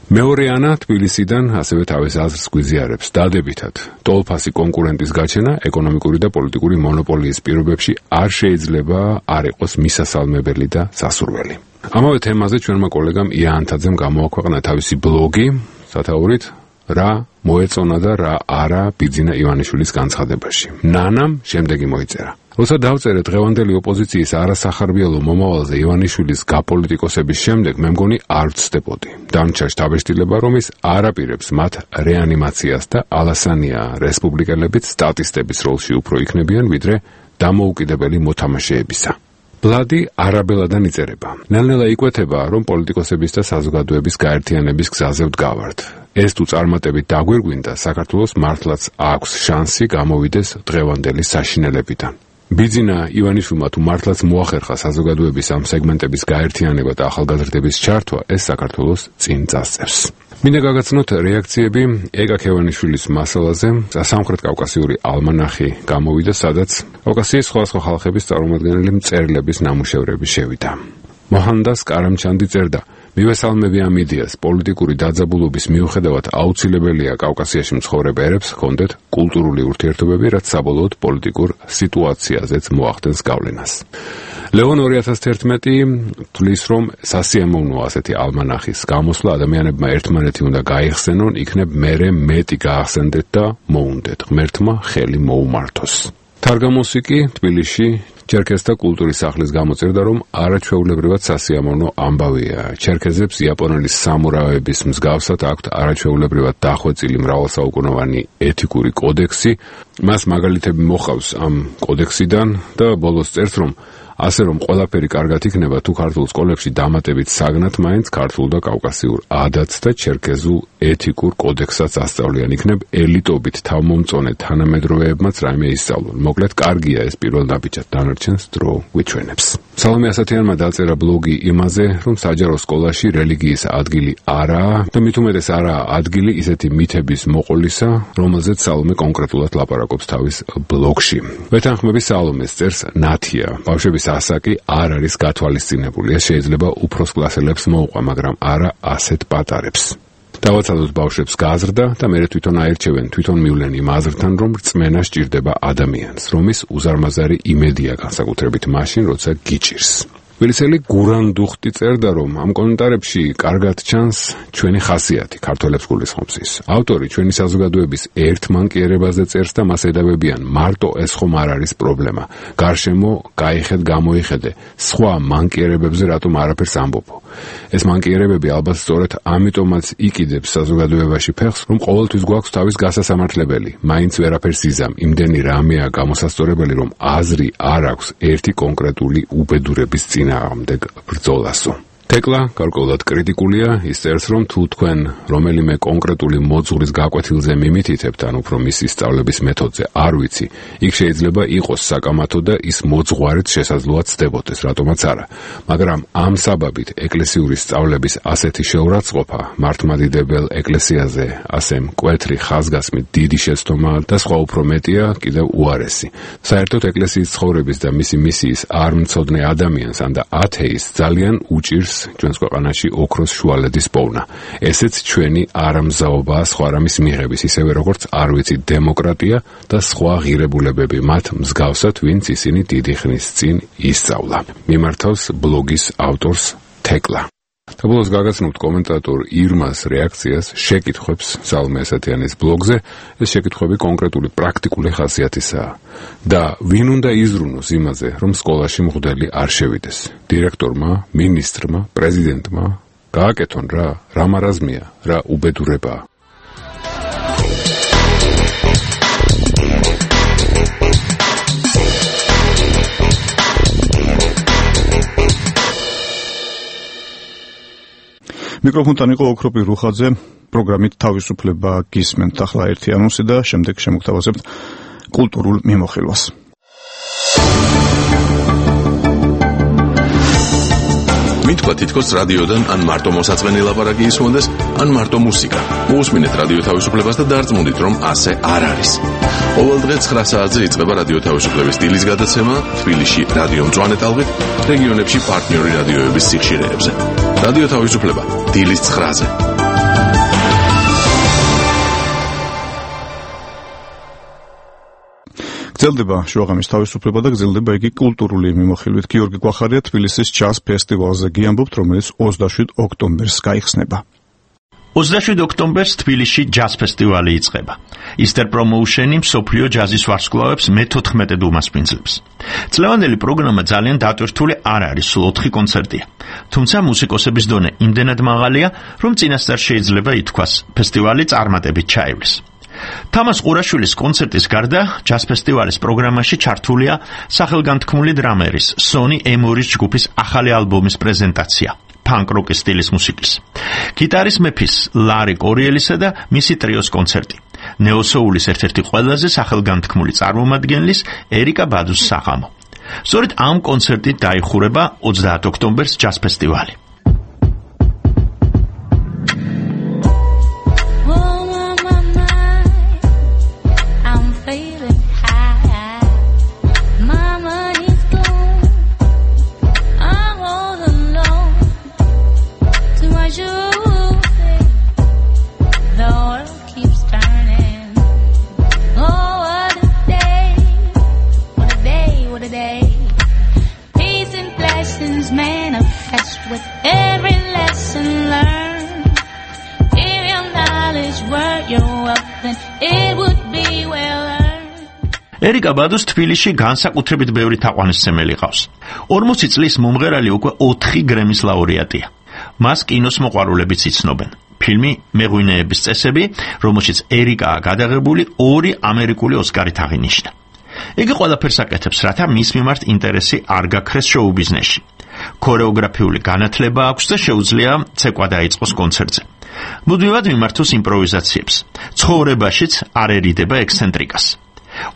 მეორე ანა თბილისიდან ასევე თავის აზრს გვიზიარებს. დადებითად, ტოლფასი კონკურენტის გაჩენა ეკონომიკური და პოლიტიკური მონოპოლიის პირობებში არ შეიძლება არ იყოს მისასალმებელი და სასურველი. ამავე თემაზე ჩვენმა კოლეგამ იანთაძემ გამოაქვეყნა თავისი ბლოგი, სათაურით რა მოეწონა და რა არა ბიძინა ივანიშვილის განცხადებაში. ნანამ შემდეგი მოიწერა: როცა დავწერე დღევანდელი ოპოზიციის არასახარბიელო მომავალზე ივანიშვილის გაპოლიტიკოსების შემდეგ, მე მგონი არ ვცდებოდი. დამრჩა შთაბეჭდილება, რომ ის არაპირებს მათ რეანიმაციას და ალასანია რესპუბლიკელებიც სტატისტების როლში უფრო იქნებიან, ვიდრე დამოუკიდებელი მოთამაშეებისა. ბლადი არაბელადან იწერება. ნელ-ნელა იკვეთება, რომ პოლიტიკოსების და საზოგადოების გაერთიანების გზაზე ვდგავართ. ეს თუ წარმატებით დაგვირგვინდა, საქართველოს მართლაც აქვს შანსი გამოვიდეს დღევანდელი საშინელებიდან. ბიძინა ივანიშვილმა თუ მართლაც მოახერხა საზოგადოების ამ სეგმენტების გაერთიანება და ახალგაზრდების ჩართვა, ეს საქართველოს წინ წასწევს. მინდა გაგაცნოთ რეაქციები ეკა ქევანიშვილის მასალაზე. სამხრეთ კავკასიური ალმანახი გამოვიდა, სადაც კავკასიის სხვადასხვა ხალხების წარმომადგენელი მწერლების ნამუშევრები შევიდა. მოჰანდას კარამჩანდი წერდა: მივესალმები ამ იდეას. პოლიტიკური დაძაბულობის მიუხედავად აუცილებელია კავკასიაში მცხოვრებ ერებს ჰქონდეთ კულტურული ურთიერთობები, რაც საბოლოოდ პოლიტიკურ სიტუაციაზეც მოახდენს გავლენას. ლეონ 2011 თვლის, რომ სასიამოვნოა ასეთი ალმანახის გამოსვლა, ადამიანებმა ერთმანეთი უნდა გაიხსენონ, იქნებ მერე მეტი გაახსენდეთ და მოუნდეთ, ღმერთმა ხელი მოუმართოს. თარგამოსი კი თბილისში ჩერქეზთა კულტურის სახლის გამოწერდა, რომ არაჩვეულებრივად სასიამოვნო ამბავია. ჩერქეზებს იაპონელი სამურაების მსგავსად აქვთ არაჩვეულებრივად დახვეწილი მრავალსაუკუნოვანი ეთიკური კოდექსი. მას მაგალითები მოყავს ამ კოდექსიდან და ბოლოს წერს, რომ ასე რომ ყველაფერი კარგად იქნება, თუ ქართულ სკოლებში დამატებით საგნად მაინც ქართულ და კავკასიურ ადათს და ჩერქეზულ ეთიკურ კოდექსსაც ასწავლიან, იქნებ ელიტობით თავმომწონე თანამედროვეებმაც რაიმე ისწავლონ. მოკლედ, კარგია ეს პირველ ნაბიჯად, დანარჩენს დრო გვიჩვენებს. სალომე ასათიანმა დაწერა ბლოგი იმაზე, რომ საჯარო სკოლაში რელიგიის ადგილი არაა და მით უმეტეს არაა ადგილი ისეთი მითების მოყოლისა, რომელზეც სალომე კონკრეტულად ლაპარაკობს თავის ბლოგში. ვეთანხმები სალომეს, წერს ნათია. ბავშვების ასაკი არ არის გათვალისწინებული. ეს შეიძლება უფროს კლასელებს მოუყვა, მაგრამ არა ასეთ პატარებს. დავაცადოთ ბავშვებს გაზრდა და მერე თვითონ აერჩევენ, თვითონ მივლენ იმ აზრთან, რომ რწმენა სჭირდება ადამიანს, რომ ის უზარმაზარი იმედია განსაკუთრებით მაშინ, როცა გიჭირს. ვერცელი გურან დუხტი წერდა, რომ ამ კომენტარებში კარგად ჩანს ჩვენი ხასიათი ქართველებს გულისხმობს ის. ავტორი ჩვენი საზოგადოების ერთ მანკიერებაზე წერს და მას ედავებიან მარტო ეს ხომ არ არის პრობლემა. გარშემო გაიხედ გამოიხედე, სხვა მანკიერებებზე რატომ არაფერს ამბობო. ეს მანკიერებები ალბათ სწორედ ამიტომაც იყიდებს საზოგადოებაში ფეხს, რომ ყოველთვის გვაქვს თავის გასასამართლებელი, მაინც ვერაფერს იზამ, იმდენი რამეა გამოსასწორებელი, რომ აზრი არ აქვს ერთი კონკრეტული უბედურების წინააღმდეგ ბრძოლასო. თეკლა გარკვეულად კრიტიკულია, ის წერს, რომ თუ თქვენ რომელიმე კონკრეტული მოძღვრის გაკვეთილზე მიმითითებთ, ან უფრო მისი სწავლების მეთოდზე არ ვიცი, იქ შეიძლება იყოს საკამათო და ის მოძღვარიც შესაძლოა ცდებოდეს, რატომაც არა. მაგრამ ამ საბაბით ეკლესიური სწავლების ასეთი შეურაცხყოფა მართლმადიდებელ ეკლესიაზე ასე მკვეთრი ხაზგასმით დიდი შეცდომა და სხვა უფრო მეტია კიდევ უარესი. საერთოდ ეკლესიის ცხოვრების და მისი მისიის არ მცოდნე ადამიანს ან და ათეისტს ძალიან უჭირს ჩვენს ქვეყანაში ოქროს შუალედის პოვნა. ესეც ჩვენი არამზაობაა სხვა რამის მიღების, ისევე როგორც არ ვიცი დემოკრატია და სხვა ღირებულებები მათ მსგავსად, ვინც ისინი დიდი ხნის წინ ისწავლა. მიმართავს ბლოგის ავტორს თეკლა. და ბოლოს გაგაცნობთ კომენტატორ ირმას რეაქციას შეკითხვებს სალმე ასათიანის ბლოგზე. ეს შეკითხვები კონკრეტული პრაქტიკული ხასიათისაა და ვინ უნდა იზრუნოს იმაზე, რომ სკოლაში მღვდელი არ შევიდეს. დირექტორმა, მინისტრმა, პრეზიდენტმა გააკეთონ რა მარაზმია, რა უბედურებაა. მიკროფონთან იყო ოქროპი რუხაძე, პროგრამით თავისუფლება გისმენთ. ახლა ერთი ანონსი და შემდეგ შემოგთავაზებთ კულტურულ მიმოხილვას. მითქვა თითქოს რადიოდან ან მარტო მოსაწყენი ლაპარაკი ისმოდეს, ან მარტო მუსიკა. მოусმინეთ რადიო თავისუფლებას და დარწმუნდით, რომ ასე არ არის. ყოველ დღე 9 საათზე იწყება რადიო თავისუფლების დილის გადაცემა თბილისში რადიო მწვანე ტალღით, რეგიონებში პარტნიორი რადიოების სიხშირეებზე. რადიო თავისუფლება დილის 9-ზე. გრძელდება შუაღამის თავისუფლება და გრძელდება იგი კულტურული მიმოხილვით. გიორგი გვახარია თბილისის ჯაზ ფესტივალზე გიამბობთ, რომელიც 27 ოქტომბერს გაიხსნება. 27 ოქტომბერს თბილისში ჯაზ ფესტივალი იწყება. Easter Promotion-ი მსოფლიო ჯაზის ვარსკვლავებს მე-14 უმასპინძლებს. წლევანდელი პროგრამა ძალიან დატვირთული არ არის, სულ 4 კონცერტია. თუმცა მუსიკოსების დონე იმდენად მაღალია, რომ წინასწარ შეიძლება ითქვას, ფესტივალი წარმატებით ჩაივლის. თამას ყურაშვილის კონცერტის გარდა ჯაზ ფესტივალის პროგრამაში ჩართულია სახელგანთქმული დრამერის სონი ემორის ჯგუფის ახალი ალბომის პრეზენტაცია. ფანკ-როკის სტილის მუსიკის. გიტარის მეფის ლარი კორიელისა და მისი ტრიოს კონცერტი. ნეოსოულის ერთ-ერთი ყველაზე სახელგანთქმული წარმომადგენლის ერიკა ბადუს საღამო. სწორედ ამ კონცერტით დაიხურება 30 ოქტომბერს ჯაზ ფესტივალი. ერიკა ბადუს თბილისში განსაკუთრებით ბევრი თაყვანისმცემელი ყავს. 40 წლის მომღერალი უკვე 4 გრემის ლაურეატია. მას კინოს მოყვარულებიც იცნობენ. ფილმი მეღვინეების წესები, რომელშიც ერიკაა გადაღებული, 2 ამერიკული ოსკარით აღინიშნა. იგი ყველაფერს აკეთებს, რათა მის მიმართ ინტერესი არ გაქრეს შოუ ბიზნესში. ქორეოგრაფიული განათლება აქვს და შეუძლია ცეკვა დაიწყოს კონცერტზე. მუდმივად მიმართოს იმპროვიზაციებს. ცხოვრებაშიც არ ერიდება ექსცენტრიკას.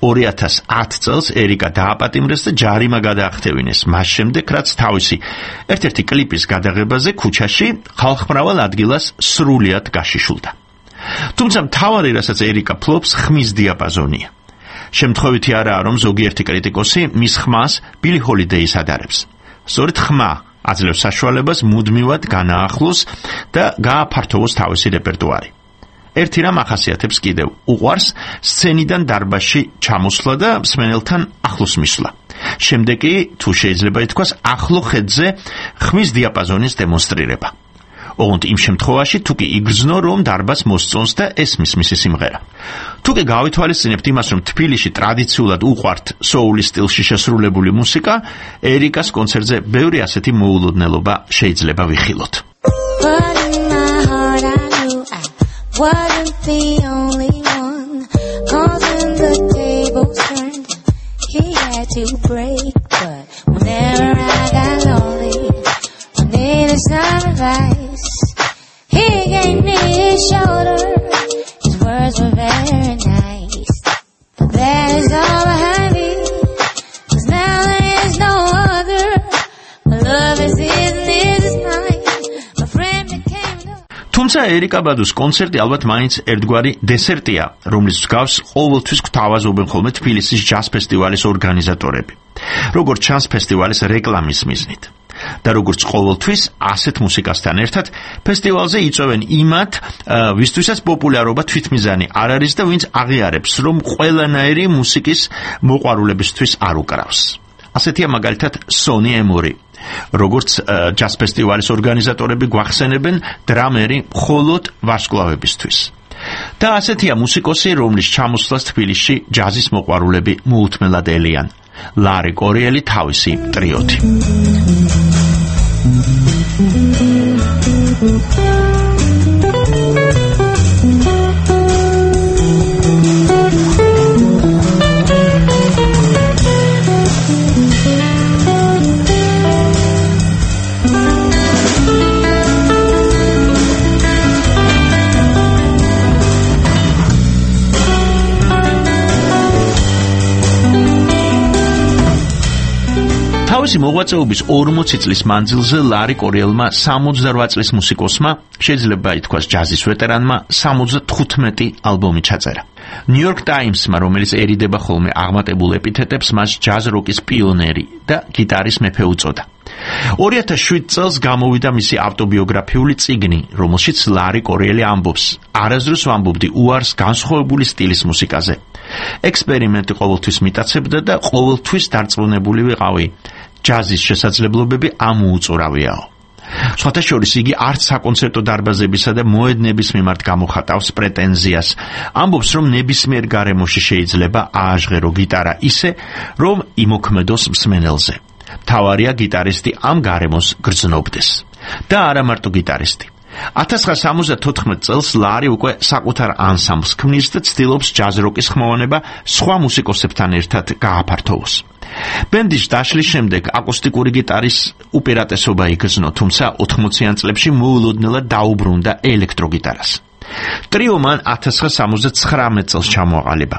2010 წელს ერიკა დააპატიმრეს და ჯარიმა გადაახტევინეს, მას შემდეგ რაც თავისი ერთ-ერთი კლიპის გადაღებაზე ქუჩაში ხალხმრავალ ადგილას სრულიად გაშიშულდა. თუმცა მთავარი, რასაც ერიკა ფლობს, ხმის დიაპაზონია. შემთხვევითი არაა, რომ ზოგიერთი კრიტიკოსი მის ხმას ბილი ჰოლიდეის ადარებს. სწორედ ხმა აძლევს საშუალებას მუდმივად განაახლოს და გააფართოვოს თავისი რეპერტუარი. ერთი რამ ახასიათებს კიდევ, უყვარს სცენიდან დარბაზში ჩამოსვლა და მსმენელთან ახლოს მისვლა. შემდეგ კი თუ შეიძლება ითქვას ახლო ხედზე ხმის დიაპაზონის დემონსტრირება. ოღონდ იმ შემთხვევაში თუ კი იგრძნო რომ დარბაზს მოსწონს და ესმის მისი სიმღერა. თუ კი გავითვალისწინებთ იმას რომ თბილისში ტრადიციულად უყვართ სოულის სტილში შესრულებული მუსიკა, ერიკას კონცერტზე ბევრი ასეთი მოულოდნელობა შეიძლება ვიხილოთ. Wasn't the only one, 'cause when the tables turned, he had to break. But whenever I got lonely, I needed some advice. He gave me his shoulder, his words were very nice. But that is all behind me, 'cause now there is no other. My love is his and his is mine. My friend became the... თუმცა ერიკა ბადუს კონცერტი ალბათ მაინც ერთგვარი დესერტია, რომლის მსგავს ყოველთვის გვთავაზობენ ხოლმე თბილისის ჯაზ ფესტივალის ორგანიზატორები. როგორც ჩანს ფესტივალის რეკლამის მიზნით. და როგორც ყოველთვის ასეთ მუსიკასთან ერთად ფესტივალზე იწვევენ იმათ, ვისთვისაც პოპულარობა თვითმიზანი არ არის და ვინც აღიარებს, რომ ყველანაირი მუსიკის მოყვარულებისთვის არ უკრავს. ასეთია მაგალითად სონი ემორი. როგორც ჯაზ ფესტივალის ორგანიზატორები გვახსენებენ, დრამერი მხოლოდ ვარსკვლავებისთვის. და ასეთია მუსიკოსი, რომლის ჩამოსვლას თბილისში ჯაზის მოყვარულები მოუთმელად ელიან. ლარი კორიელი თავისი ტრიოთი. თავისი მოღვაწეობის 40 წლის მანძილზე ლარი კორიელმა 68 წლის მუსიკოსმა, შეიძლება ითქვას ჯაზის ვეტერანმა, 75 ალბომი ჩაწერა. New York Times-მა, რომელიცერიდება ხოლმე აღმატებულ ეპითეტებს, მას ჯაზ როკის პიონერი და გიტარის მეფე უწოდა. 2007 წელს გამოვიდა მისი ავტობიოგრაფიული წიგნი, რომელშიც ლარი კორიელი ამბობს: არასდროს ვამბობდი უარს განსხვავებული სტილის მუსიკაზე. ექსპერიმენტი ყოველთვის მიტაცებდა და ყოველთვის დარწმუნებული ვიყავი. ჯაზის შესაძლებლობები ამოუწურავიაო. სხვათა შორის იგი არც საკონცერტო დარბაზებისა და მოედნების მიმართ გამოხატავს პრეტენზიას. ამბობს, რომ ნებისმიერ გარემოში შეიძლება ააჟღერო გიტარა ისე, რომ იმოქმედოს მსმენელზე. მთავარია გიტარისტი ამ გარემოს გრძნობდეს. და არა მარტო გიტარისტი. 1974 წელს ლარი უკვე საკუთარ ანსამბლს ქმნის და ცდილობს ჯაზ როკის ხმოვანება სხვა მუსიკოსებთან ერთად გააფართოვოს. ბენდის დაშლის შემდეგ აკუსტიკური გიტარის უპირატესობა იგრძნო, თუმცა 80-იან წლებში მოულოდნელად დაუბრუნდა ელექტროგიტარას. ტრიო მან 1979 წელს ჩამოაყალიბა.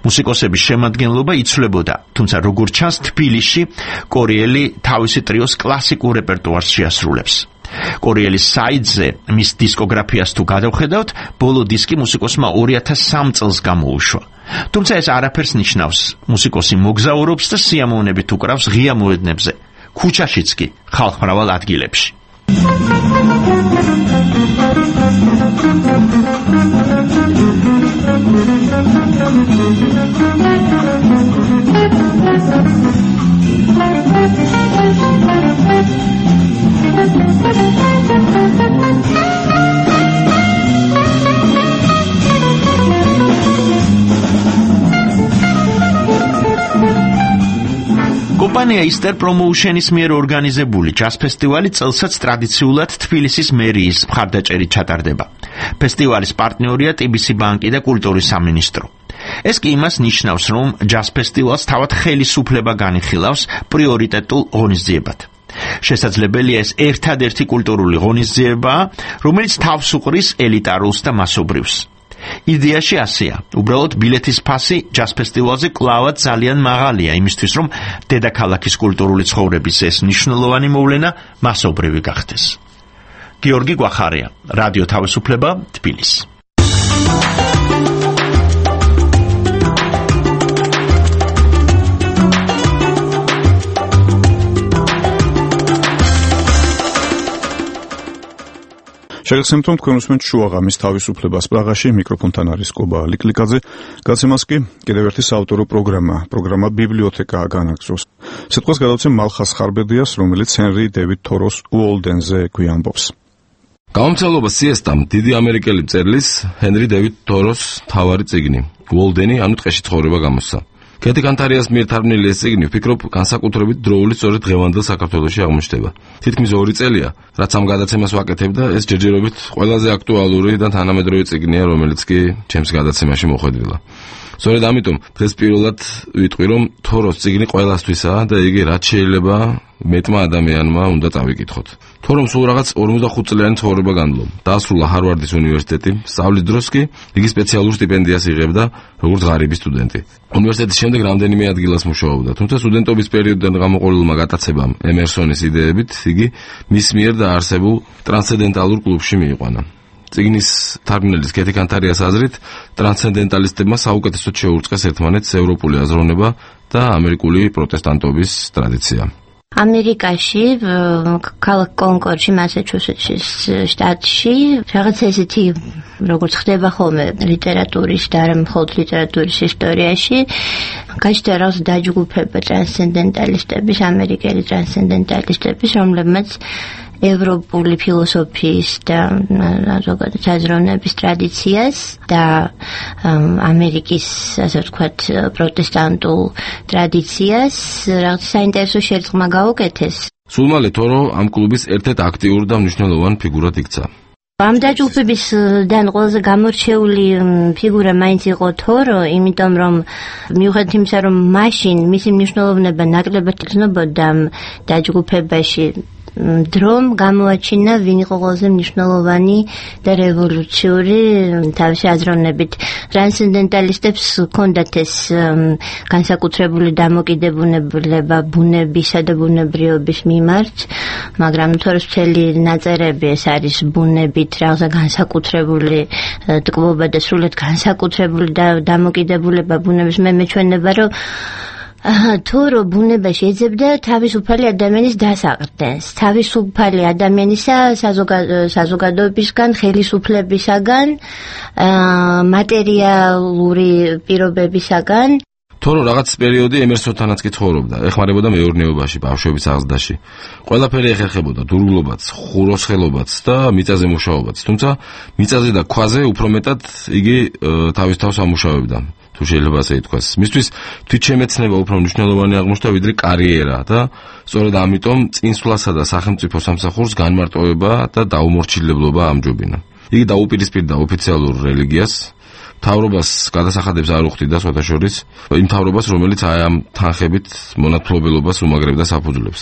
მუსიკოსების შემადგენლობა იცვლებოდა, თუმცა როგორც ჩანს თბილისში კორიელი თავისი ტრიოს კლასიკურ რეპერტუარს შეასრულებს. კორიელის საიტზე მის დისკოგრაფიას თუ გადავხედავთ, ბოლო დისკი მუსიკოსმა 2003 წელს გამოუშვა. თუმცა ეს არაფერს ნიშნავს. მუსიკოსი მოგზაურობს და სიამოვნებით უკრავს ღია მოედნებზე, ქუჩაშიც კი ხალხმრავალ ადგილებში. კომპანია Easter Promotion-ის მიერ ორგანიზებული ჯაზ ფესტივალი წელსაც ტრადიციულად თბილისის მერიის მხარდაჭერით ჩატარდება. ფესტივალის პარტნიორია TBC ბანკი და კულტურის სამინისტრო. ეს კი იმას ნიშნავს, რომ ჯაზ ფესტივალს თავად ხელისუფლება განიხილავს პრიორიტეტულ ღონისძიებად. შესაძლებელია ეს ერთადერთი კულტურული ღონისძიებაა, რომელიც თავს უყრის ელიტარულს და მასობრივს. იდეაში ასეა, უბრალოდ ბილეთის ფასი ჯაზ ფესტივალზე კლავად ძალიან მაღალია იმისთვის, რომ დედაქალაქის კულტურული ცხოვრების ეს მნიშვნელოვანი მოვლენა მასობრივი გახდეს. გიორგი გვახარია, რადიო თავისუფლება, თბილისი. შეგახსენებთ, რომ თქვენ უსმენთ შუაღამის თავისუფლებას პრაღაში, მიკროფონთან არის კობა ლიკლიკაძე. გაცემას კი კიდევ ერთი საავტორო პროგრამა ბიბლიოთეკა განაგრძობს. სიტყვას გადავცემ მალხას ხარბედიას, რომელიც ჰენრი დევიდ თოროს უოლდენზე გვიამბობს. გამომცემლობა სიესტამ დიდი ამერიკელი მწერლის ჰენრი დევიდ თოროს თავარი წიგნი უოლდენი, ანუ ტყეში ცხოვრება გამოსცა. კეთი კანტარიას მიერ თარგმნილი ეს წიგნი, ვფიქრობ, განსაკუთრებით დროული სწორედ დღევანდელ საქართველოში აღმოჩნდება. თითქმის 2 წელია, რაც ამ გადაცემას ვაკეთებ და ეს ჯერჯერობით ყველაზე აქტუალური და თანამედროვე წიგნია, რომელიც კი ჩემს გადაცემაში მოხვედრილა. სწორედ ამიტომ დღეს პირველად ვიტყვი, რომ თოროს წიგნი ყველასთვისაა და იგი რაც შეიძლება მეტმა ადამიანმა უნდა წავიკითხოთ. თორომ სულ რაღაც 45 წლიანი ცხოვრება განვლო. დაასრულა ჰარვარდის უნივერსიტეტი, სწავლის დროს კი იგი სპეციალურ სტიპენდიას იღებდა როგორც ღარიბი სტუდენტი. უნივერსიტეტის შემდეგ რამდენიმე ადგილას მუშაობდა, თუმცა სტუდენტობის პერიოდიდან გამოყოლილმა გატაცებამ ემერსონის იდეებით იგი მის მიერ დაარსებულ ტრანსცენდენტალურ კლუბში მიიყვანა. წიგნის თარგმნელის კეთი კანტარიას აზრით, ტრანსცენდენტალისტებმა საუკეთესოდ შეურწყეს ერთმანეთს ევროპული აზროვნება და ამერიკული პროტესტანტობის ტრადიცია. ამერიკაში, ქალაქ კონკორდში, მასაჩუსეტსის შტატში, რაღაც ესეთი, როგორც ხდება ხოლმე ლიტერატურის და არა მხოლოდ ლიტერატურის ისტორიაში, გაჩნდა რაღაც დაჯგუფება ტრანსცენდენტალისტების, ამერიკელი ტრანსცენდენტალისტების, რომლებმაც ევროპული ფილოსოფიის და ზოგადად აზროვნების ტრადიციას და ამერიკის, ასე ვთქვათ, პროტესტანტულ ტრადიციას რაღაც საინტერესო შერწყმა გაუკეთეს. სულ მალე თორო ამ კლუბის ერთ-ერთ აქტიურ და მნიშვნელოვან ფიგურად იქცა. ამ დაჯგუფებისგან ყველაზე გამორჩეული ფიგურა მაინც იყო თორო, იმიტომ რომ მიუხედავად იმისა, რომ მაშინ მისი მნიშვნელოვნება ნაკლებად იგრძნობოდა დაჯგუფებაში, დრომ გამოაჩინა ვინ იყო ყველაზე მნიშვნელოვანი და რევოლუციური თავისი აზროვნებით. ტრანსცენდენტალისტებს ჰქონდათ ეს განსაკუთრებული დამოკიდებულება ბუნებისა და ბუნებრიობის მიმართ, მაგრამ თორეს მთელი ნაწერები ეს არის ბუნებით რაღაცა განსაკუთრებული ტკბობა და სრულად განსაკუთრებული დამოკიდებულება ბუნების. მე მეჩვენება, რომ თორო ბუნებაში ეძებდა თავისუფალი ადამიანის დასაყრდენს, თავისუფალი ადამიანისა საზოგადოებისგან, ხელისუფლებისაგან, მატერიალური პირობებისაგან. თორო რაღაც პერიოდი ემერსონთანაც კი ცხოვრობდა, ეხმარებოდა მეურნეობაში, ბავშვების აღზრდაში. ყველაფერი ეხერხებოდა, დურგლობაც, ხუროსხელობაც და მიწაზე მუშაობაც, თუმცა მიწაზე და ქვაზე უფრო მეტად იგი თავის თავს ამუშავებდა. თუ შეიძლება ასე ითქვას. მისთვის თვითშემეცნება უფრო მნიშვნელოვანი აღმოჩნდა ვიდრე კარიერა და სწორედ ამიტომ წინსვლასა და სახელმწიფო სამსახურს განმარტოვება და დაუმორჩილებლობა ამჯობინა. იგი დაუპირისპირდა ოფიციალურ რელიგიას, მთავრობას გადასახადებს არ უხდიდა სხვათაშორის, იმ მთავრობას, რომელიც ამ თანხებით მონათმფლობელობას უმაგრებდა საფუძვლებს.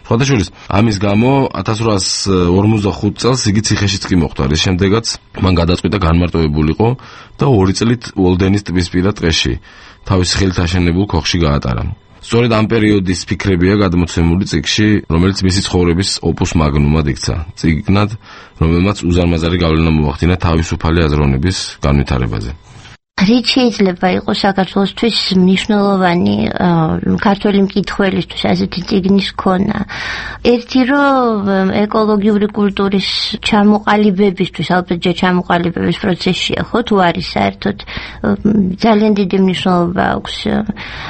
სხვათაშორის, ამის გამო 1845 წელს იგი ციხეშიც კი მოხვდა, რის შემდეგაც მან გადაწყვიტა განმარტოვებულიყო და 2 წლით უოლდენის ტბისპირა ტყეში, თავის ხელით აშენებულ ქოხში გაატარა. სწორედ ამ პერიოდის ფიქრებია გადმოცემული წიგნში, რომელიც მისი ცხოვრების ოპუს მაგნუმად იქცა. წიგნად, რომელმაც უზარმაზარი გავლენა მოახდინა თავისუფალი აზროვნების განვითარებაზე. რით შეიძლება იყოს საქართველოსთვის მნიშვნელოვანი ქართველი მკითხველისთვის ასეთი წიგნის ქონა? ერთი, რომ ეკოლოგიური კულტურის ჩამოყალიბებისთვის, ალბათ ჯერ ჩამოყალიბების პროცესშია, ხო, თუ არის საერთოდ, ძალიან დიდი მნიშვნელობა აქვს.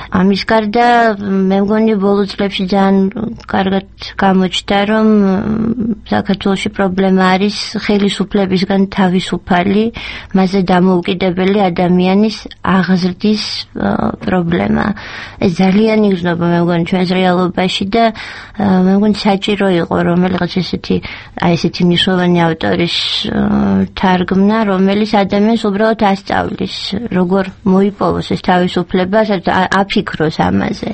ამის გარდა, მე მგონი ბოლო წლებში ძალიან კარგად გამოჩნდა, რომ საქართველოში პრობლემა არის ხელისუფლებისგან თავისუფალი, მასზე დამოუკიდებელი ადამიანის აღზრდის პრობლემა. ეს ძალიან იგრძნობა, მე მგონი, ჩვენს რეალობაში და მე მგონი საჭირო იყო რომელიღაც ესეთი მნიშვნელოვანი ავტორის თარგმნა, რომელიც ადამიანს უბრალოდ ასწავლის, როგორ მოიპოვოს ეს თავისუფლება, აფიქროს ამაზე.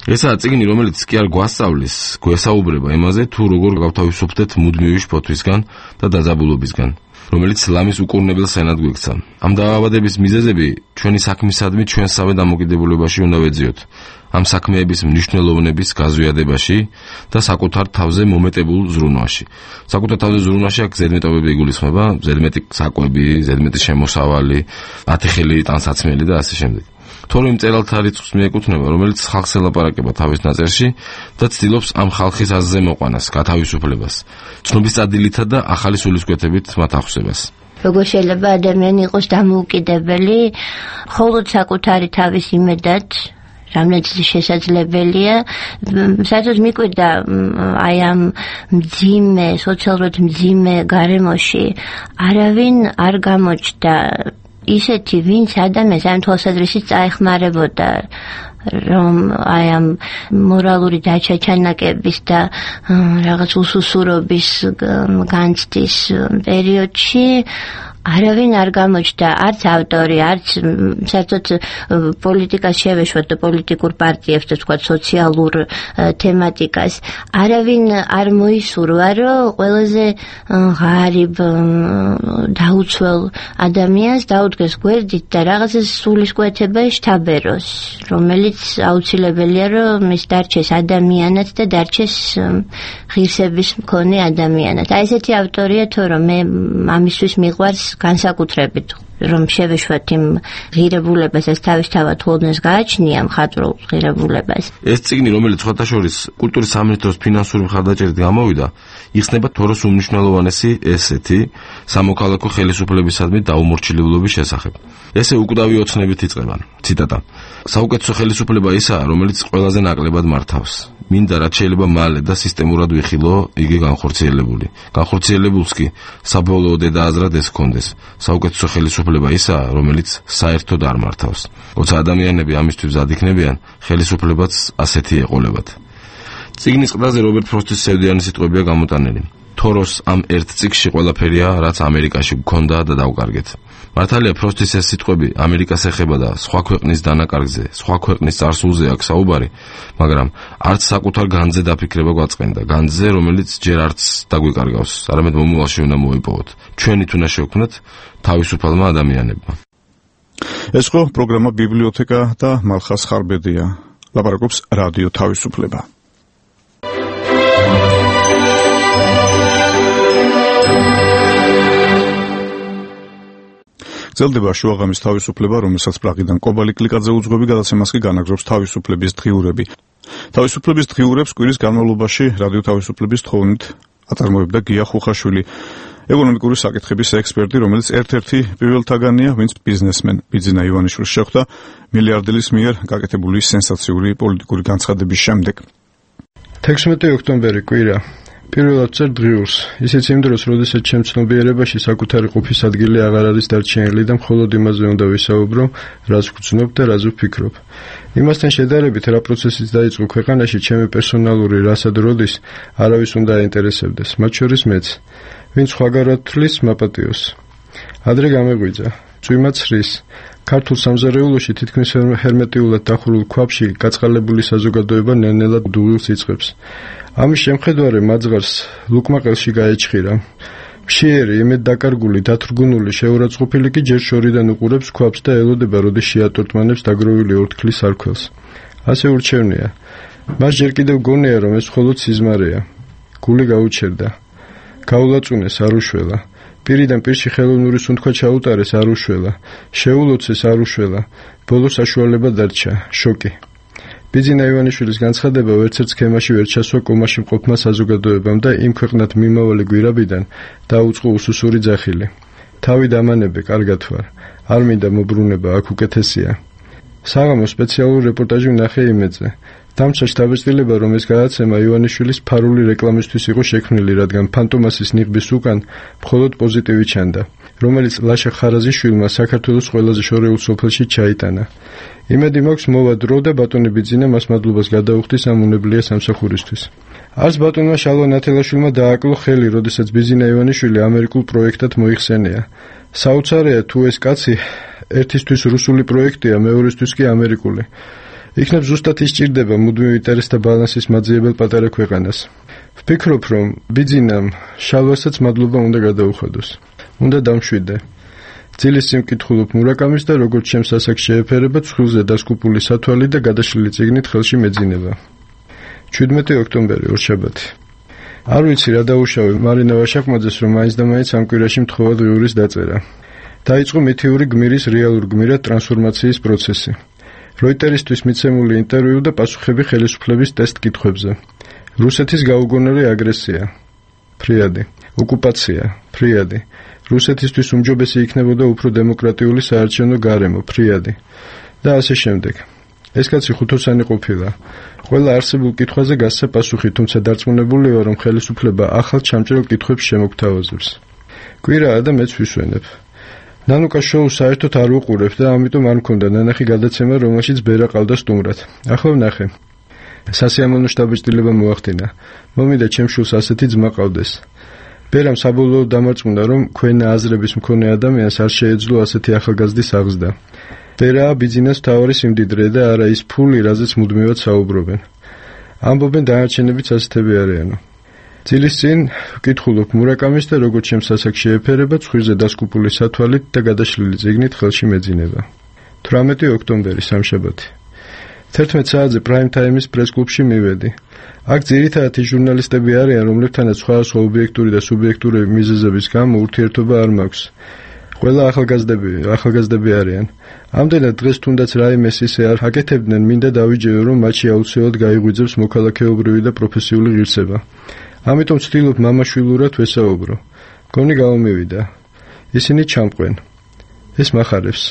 ესაა წიგნი, რომელიც კი არ გვასწავლის, გვესაუბრება იმაზე, თუ როგორ გავთავისუფლდეთ მუდმივი შფოთვისგან და დაძაბულობისგან, რომელიც ლამის უკურნებელ სენად გვექცა. ამ დაავადების მიზეზები ჩვენი საქმისადმი ჩვენსავე დამოკიდებულებაში უნდა ვეძიოთ. ამ საქმეების მნიშვნელოვნების გაზვიადებაში და საკუთარ თავზე მომეტებულ ზრუნვაში. საკუთარ თავზე ზრუნვაში აქ ზედმეტობები იგულისხმება, ზედმეტი საკვები, ზედმეტი შემოსავალი, 10 ხელი ტანსაცმელი და ასე შემდეგ. თორემ მწერალთა რიცხვს მიეკუთვნება, რომელიც ხალხს ელაპარაკება თავის ნაწერში და ცდილობს ამ ხალხის აზრზე მოყვანას, გათავისუფლებას, ცნობის წადილითა და ახალი სულისკვეთებით მათ ახსებას. როგორ შეიძლება ადამიანი იყოს დამოუკიდებელი, მხოლოდ საკუთარი თავის იმედად, რამაც შესაძლებელია, საერთოდ მიკვირდა აი ამ მძიმე, სოციალურად მძიმე გარემოში არავინ არ გამოჩნდა ისეთი, ვინც ადამიანს ამ თვალსაზრისით წაეხმარებოდა, რომ აი ამ მორალური დაჩაჩანაკების და რაღაც უსუსურობის განცდის პერიოდში არავინ არ გამოჩნდა, არც ავტორი, არც საერთოდ პოლიტიკას შევეშვა და პოლიტიკურ პარტიებს და თქვა სოციალურ თემატიკას. არავინ არ მოისურვა, რომ ყველაზე ღარიბ დაუცველ ადამიანს დაუდგეს გვერდით და რაღაცა სულისკვეთება შთაბეროს, რომელიც აუცილებელია, რომ ის დარჩეს ადამიანად და დარჩეს ღირსების მქონე ადამიანად. აი ესეთი ავტორია თუ რომ მე ამისთვის მიყვარს განსაკუთრებით რომ შევეშვათ იმ ღირებულებასაც თავისთავად ხოვნეს გააჩნია მხატვრულ ღირებულებას. ეს წიგნი, რომელიც სხვათა შორის კულტურის სამინისტროს ფინანსური მხარდაჭერით გამოვიდა, იხსნება თოროს უმნიშვნელოვანესი ესეთი სამოქალაქო ხელისუფლებისადმი დაუმორჩილებლობის შესახებ. ესე უკვდავი ოცნებით იწყება. ციტატა. საუკეთესო ხელისუფლება ისაა, რომელიც ყველაზე ნაკლებად მართავს. მინდა რაც შეიძლება მალე და სისტემურად ვიხილო იგი განხორციელებული. განხორციელებულს კი საბოლოო დედააზრად ეს ჰქონდეს. საუკეთესო ხელისუფლება ისაა, რომელიც საერთოდ არ მართავს. როცა ადამიანები ამისთვის მზად იქნებიან, ხელისუფლებაც ასეთი ეყოლებათ. წიგნის ყდაზე რობერტ ფროსტის სევდიანი სიტყვებია გამოტანილი. თოროს ამ ერთ წიგში ყველაფერია, რაც ამერიკაში გქონდა და დავკარგეთ. მართალია ფროსტის ეს სიტყვები ამერიკას ეხება და სხვა ქვეყნის დანაკარგზე, სხვა ქვეყნის წარსულზე აქვს საუბარი, მაგრამ არც საკუთარ განძზე დაფიქრება გვაწყენდა, განძზე, რომელიც ჯერ არც დაგვიკარგავს, არამედ მომავალში უნდა მოიპოვოთ. ჩვენით უნდა შევქმნათ თავისუფალმა ადამიანებმა. ეს ხო პროგრამა ბიბლიოთეკა და მალხას ხარბედია. ლაპარაკობს რადიო თავისუფლება. გრძელდება შუაღამის თავისუფლება, რომელსაც პრაღიდან კობალი კლიკაძე უძღვები, გადაცემას კი განაგრძობს თავისუფლების დღიურები. თავისუფლების დღიურებს კვირის განმავლობაში რადიო თავისუფლების თხოვნით აწარმოებდა გია ხუხაშვილი, ეკონომიკური საკითხების ექსპერტი, რომელიც ერთ-ერთი პირველთაგანია, ვინც ბიზნესმენ ბიძინა ივანიშვილს შეხვდა მილიარდელის მიერ გაკეთებული სენსაციური პოლიტიკური განცხადების შემდეგ. 16 ოქტომბერი კვირა. პირველად წერ დღიურს, ისიც იმ დროს, როდესაც ჩემ ცნობიერებაში საკუთარი ყოფის ადგილი აღარ არის დარჩენილი და მხოლოდ იმაზე უნდა ვისაუბრო, რაც ვგრძნობ და რაც ვფიქრობ. იმასთან შედარებით, რა პროცესიც დაიწყო ქვეყანაში, ჩემი პერსონალური რასა და როდის არავის უნდა აინტერესებდეს, მათ შორის მეც, ვინც სხვაგარად თვლის მაპატიოს. ადრე გამეღვიძა, წვიმა ცრის, ქართულ სამზარეულოში თითქმის ჰერმეტიულად დახურულ ქვაბში გაწყალებული საზოგადოება ნელ-ნელა დუღილს იწყებს. ამის შემხედვარე მაძღარს ლუკმაყელში გაეჩხირა. მშიერი, იმედ დაკარგული, დათრგუნული, შეურაცხყოფილი კი ჯერ შორიდან უყურებს ქვაბს და ელოდება, როდის შეატვირთმანებს დაგროვილი ორთქლის არქველს. ასე ურჩევნია. მას ჯერ კიდევ გონია, რომ ეს მხოლოდ სიზმარეა. გული გაუჩერდა. გაულაწუნეს, არ უშველა. პირიდან პირში ხელოვნური სუნთქვა ჩაუტარეს, არ უშველა. შეულოცეს, არ უშველა. ბოლოს საშუალება დარჩა, შოკი. ბიძინა ივანიშვილის განცხადება ვერცერთ სქემაში ვერ ჩასვა კომაში მყოფმა საზოგადოებამ და იმ ქვეყნად მიმავალი გვირაბიდან დაუწყო უსუსური ძახილი. თავი დამანებე, კარგად ვარ. არ მინდა მობრუნება, აქ უკეთესია. საღამო სპეციალური რეპორტაჟი ვნახე იმედზე. დამცა შთაბეჭდილება, რომ ეს გადაცემა ივანიშვილის ფარული რეკლამისთვის იყო შექმნილი, რადგან ფანტომასის ნიღბის უკან მხოლოდ პოზიტივი ჩანდა, რომელიც ლაშა ხარაზიშვილმა საქართველოს ყველაზე შორეულ სოფელში ჩაიტანა. იმედი მაქვს მოვა დრო და ბატონი ბიძინა მას მადლობას გადაუხდის ამ უნებლიე სამსახურისთვის. არც ბატონმა შალვა ნათელაშვილმა დააკლო ხელი, როდესაც ბიძინა ივანიშვილი ამერიკულ პროექტად მოიხსენია. საოცარია თუ ეს კაცი ერთისთვის რუსული პროექტია, მეორისთვის კი ამერიკული. იქნებ ზუსტად ისჭირდება მუდმივ ინტერესთა ბალანსის მაძიებელ პატარა ქვეყანას. ვფიქრობ, რომ ბიძინამ შალვასაც მადლობა უნდა გადაუხადოს. უნდა დამშვიდე. ძილის სიმკითხულობ მურაკამის და როგორც ჩემს ასაკს შეეფერება ცხრილზე დასკუპული სათვალი და გადაშლილი წიგნით ხელში მეძინება. 17 ოქტომბერი, ორშაბათი. არ ვიცი რა დაუშავე მარინა ვაშაკმაძეს, რომ მაინც და მაინც ამ კვირაში მთხოვა დღიურის დაწერა. დაიწყო მითიური გმირის რეალურ გმირად ტრანსფორმაციის პროცესი. როიტერისთვის მიცემული ინტერვიუ და პასუხები ხელისუფლების ტესტ კითხვებზე. რუსეთის გაუგონარი აგრესია. ფრიადი. ოკუპაცია. ფრიადი. რუსეთისთვის უმჯობესი იქნებოდა უფრო დემოკრატიული საარჩევნო გარემო. ფრიადი. და ასე შემდეგ. ეს კაცი ხუთოსანი ყოფილა. ყველა არსებულ კითხვაზე გასცა პასუხი, თუმცა დარწმუნებული ვარ, რომ ხელისუფლება ახალ ჩამჭრელ კითხვებს შემოგთავაზებს. კვირაა და მეც ვისვენებ. ნანუკა შოუს საერთოდ არ უყურებ და ამიტომ არ მქონდა ნანახი გადაცემა, რომელშიც ბერა ყავდა სტუმრად. ახლა ვნახე. სასიამოვნო შთაბეჭდილება მოახდინა. მომიდა ჩემ შულს ასეთი ძმა ყავდეს. ბერამ საბოლოოდ დამარწმუნა, რომ ქვენა აზრების მქონე ადამიანს არ შეეძლო ასეთი ახალგაზრდის აღზრდა. ბერაა ბიძინას მთავარი სიმდიდრე და არა ის ფული, რაზეც მუდმივად საუბრობენ. ამბობენ დანარჩენებიც ასეთები არიანო. ძილის წინ ვკითხულობ მურაკამის და როგორც ჩემს ასაკს შეეფერება ცხვირზე დასკუპული სათვალით და გადაშლილი წიგნით ხელში მეძინება. 18 ოქტომბერი სამშაბათი. 11 საათზე პრაიმ ტაიმის პრესკლუბში მივედი. აქ ძირითადად ის ჟურნალისტები არიან, რომლებთანაც სხვადასხვა ობიექტური და სუბიექტური მიზეზების გამო ურთიერთობა არ მაქვს. ყველა ახალგაზრდები არიან. ამდენად დღეს თუნდაც რაიმეს ისე არ აკეთებდნენ, მინდა დავიჯერო, რომ მათში აუცილებლად გაიღვიძებს მოქალაქეობრივი და პროფესიული ღირსება. ამიტომ ვცდილობ მამაშვილურად ვესაუბრო. გონი გამომივიდა. ისინი ჩამყვენ. ეს მახარებს.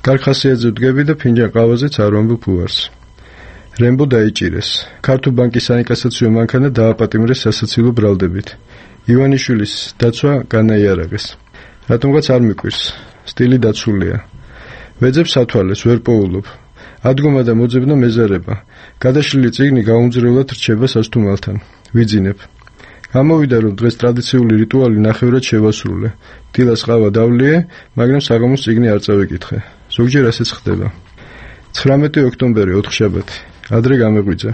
კარგ ხასიათზე ვდგები და ფინჯან ყავაზეც არ ვამბობ უარს. რემბო დაიჭირეს. ქართულ ბანკის საინკასაციო მანქანა დააპატიმრეს სასაცილო ბრალდებით. ივანიშვილის დაცვა განაიარაღეს. რატომღაც არ მიკვირს. სტილი დაცულია. ვეძებ სათვალეს, ვერ პოულობ. ადგომა და მოძებნა მეზარება. გადაშლილი წიგნი გაუმძრევლად რჩება სასტუმალთან. ვიძინებ. გამოვიდა, რომ დღეს ტრადიციული რიტუალი ნახევრად შევასრულე. დილას ყავა დავლიე, მაგრამ საღამოს წიგნი არ წავიკითხე. ზოგჯერ ასეც ხდება. 19 ოქტომბერი, ოთხშაბათი. ადრე გამეღვიძა.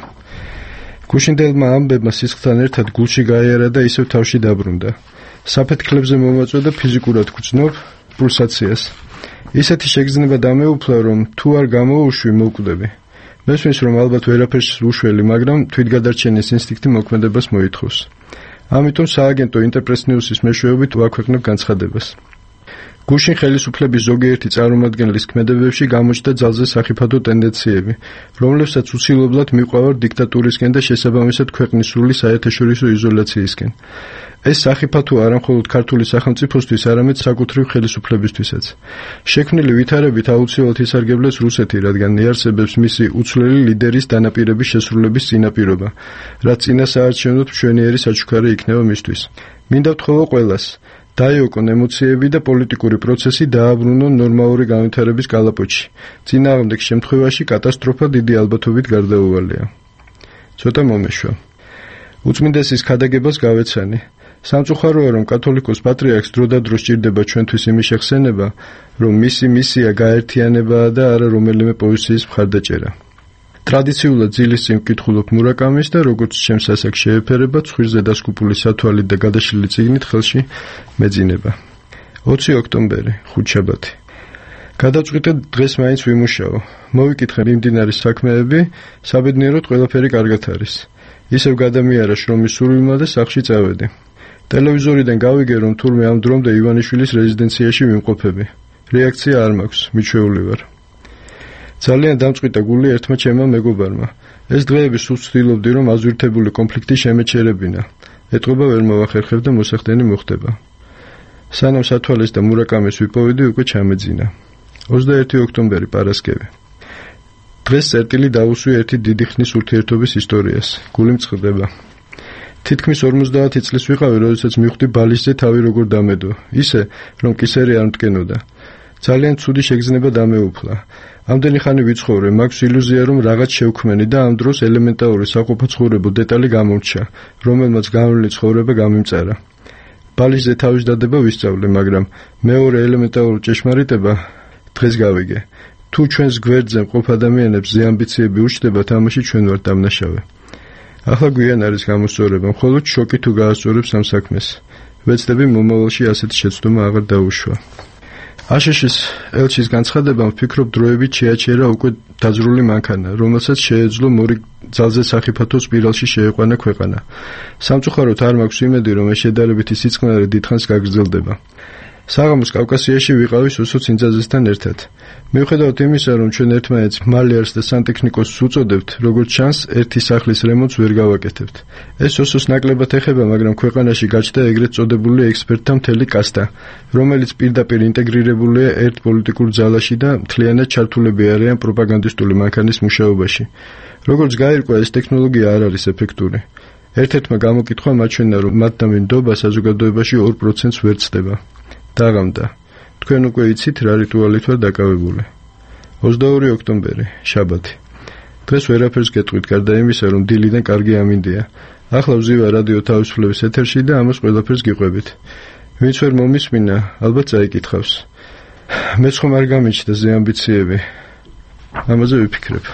გუშინდელმა ამბებმა სისხლთან ერთად გულში გაიარა და ისევ თავში დაბრუნდა. საფეთქლებზე მომაწვა და ფიზიკურად გვწნობ პულსაციას. ისეთი შეგრძნება დამეუფლა, რომ თუ არ გამოუშვი მოვკვდები. მესმის, რომ ალბათ ვერაფერს უშველი, მაგრამ თვითგადარჩენის ინსტინქტი მოქმედებას მოითხოვს. ამიტომ სააგენტო ინტერპრესნიუსის მეშვეობით ვაქვეყნებ განცხადებას. გუშინ ხელისუფლების ზოგიერთი წარმომადგენლის ქმედებებში გამოჩნდა ძალზე სახიფათო ტენდენციები, რომლებსაც უცილებლად მიყვავარ დიქტატურისკენ და შესაბამისად ქვეყნის სრული საერთაშორისო იზოლაციისკენ. ეს სახიფათო არა მხოლოდ ქართული სახელმწიფოსთვის, არამედ საკუთრივ ხელისუფლებისთვისაც. შექმნილი ვითარებით აუცილებლად ისარგებლეს რუსეთი, რადგან იარსებებს მისი უცვლელი ლიდერის დანაპირების შესრულების წინაპირობა, რაც წინა საარჩევნოდ მშვენიერი საჩუქარი იქნება მისთვის. მინდა ვთხოვო ყველას, დაიოკონ ემოციები და პოლიტიკური პროცესი დააბრუნონ ნორმალური განვითარების კალაპოტში. წინააღმდეგ შემთხვევაში კატასტროფა დიდი ალბათობით გარდაუვალია. ცოტა მომეშვა. უწმინდესის ქადაგებას გავეცანი. სამწუხაროა, რომ კათოლიკოს პატრიარქს დროდადრო სჭირდება ჩვენთვის იმის შეხსენება, რომ მისი მისია გაერთიანებაა და არა რომელიმე პოზიციის მხარდაჭერა. ტრადიციულად ძილის წინ ვკითხულობ მურაკამის და როგორც ჩემს ასაკს შეეფერება, ცხვირზე დასკუპული სათვალით და გადაშლილი წიგნით ხელში მეძინება. 20 ოქტომბერი, ხუთშაბათი. გადავწყვიტე დღეს მაინც ვიმუშაო. მოვიკითხე მიმდინარე საქმეები, საბედნიეროდ ყველაფერი კარგად არის. ისევ გადამიარა შრომის სურვილმა და სახლში წავედი. ტელევიზორიდან გავიგე, რომ თურმე ამ დრომდე ივანიშვილის რეზიდენციაში ვიმყოფები. რეაქცია არ მაქვს, მიჩვეული ვარ. ძალიან დამწყვიტა გული ერთმა ჩემმა მეგობარმა. ეს დღეები სულ ვცდილობდი, რომ აზვირთებული კონფლიქტი შემეჩერებინა. ეტყობა ვერ მოვახერხებ და მოსახდენი მოხდება. სანამ სათვალეს და მურაკამის ვიპოვედი, უკვე ჩამეძინა. 21 ოქტომბერი, პარასკევი. დღეს წერტილი დავუსვი ერთი დიდი ხნის ურთიერთობის ისტორიას. გული მწყდება. თითქმის 50 წლის ვიყავი, როდესაც მივხვდი ბალიშზე თავი როგორ დამედო. ისე, რომ კისერი არ მტკენოდა. ძალიან ცუდი შეგრძნება დამეუფლა. ამდენი ხანი ვიცხოვრე, მაქვს ილუზია, რომ რაღაც შევქმენი და ამ დროს ელემენტარული საყოფაცხოვრებო დეტალი გამორჩა, რომელმაც განვლილი ცხოვრება გამიმწარა. ბალიშზე თავის დადება ვისწავლე, მაგრამ მეორე ელემენტარული ჭეშმარიტება დღეს გავიგე. თუ ჩვენს გვერდზე მყოფ ადამიანებს ზეამბიციები უშდება, თამაში ჩვენ ვართ დამნაშავე. ახლა გვიან არის გამოსწორება, მხოლოდ შოკი თუ გაასწორებს ამ საქმეს. ვეცდები მომავალში ასეთი შეცდომა აღარ დაუშვა. აშშ-ის ელჩის განცხადებამ ვფიქრობ დროებით შეაჩერა უკვე დაძრული მანქანა, რომელსაც შეეძლო მორიგ ძალზე სახიფათო სპირალში შეეყვანა ქვეყანა. სამწუხაროდ არ მაქვს იმედი, რომ ეს შედარებითი სიწყნარე დიდხანს გაგრძელდება. საღამოს კავკასიაში ვიყავი სუსო ცინძაძესთან ერთად. მიუხედავად იმისა, რომ ჩვენ ერთმანეთს მალიარს და სანტექნიკოსს უწოდებთ, როგორც ჩანს, ერთი სახლის რემონტს ვერ გავაკეთებთ. ეს სუსოს ნაკლებად ეხება, მაგრამ ქვეყანაში გაჩნდა ეგრეთ წოდებული ექსპერტთა მთელი კასტა, რომელიც პირდაპირ ინტეგრირებულია ერთ პოლიტიკურ ძალაში და მთლიანად ჩართულები არიან პროპაგანდისტული მანქანის მუშაობაში. როგორც გაირკვა, ეს ტექნოლოგია არ არის ეფექტური. ერთ-ერთმა გამოკითხვა მაჩვენა, რომ მათდამი ნდობა საზოგადოებაში 2%-ს ვერ ცდება. დაღამდა. თქვენ უკვე იცით რა რიტუალით ვარ დაკავებული. 22 ოქტომბერი, შაბათი. დღეს ვერაფერს გეტყვით, გარდა იმისა, რომ დილიდან კარგი ამინდია. ახლა ვზივა რადიო თავისუფლების ეთერში და ამას ყველაფერს გიყვებით. ვინც ვერ მომისმინა, ალბათ წაიკითხავს. მეც ხომ არ გამიჩნდა ზე ამბიციები. ამაზე ვიფიქრებ.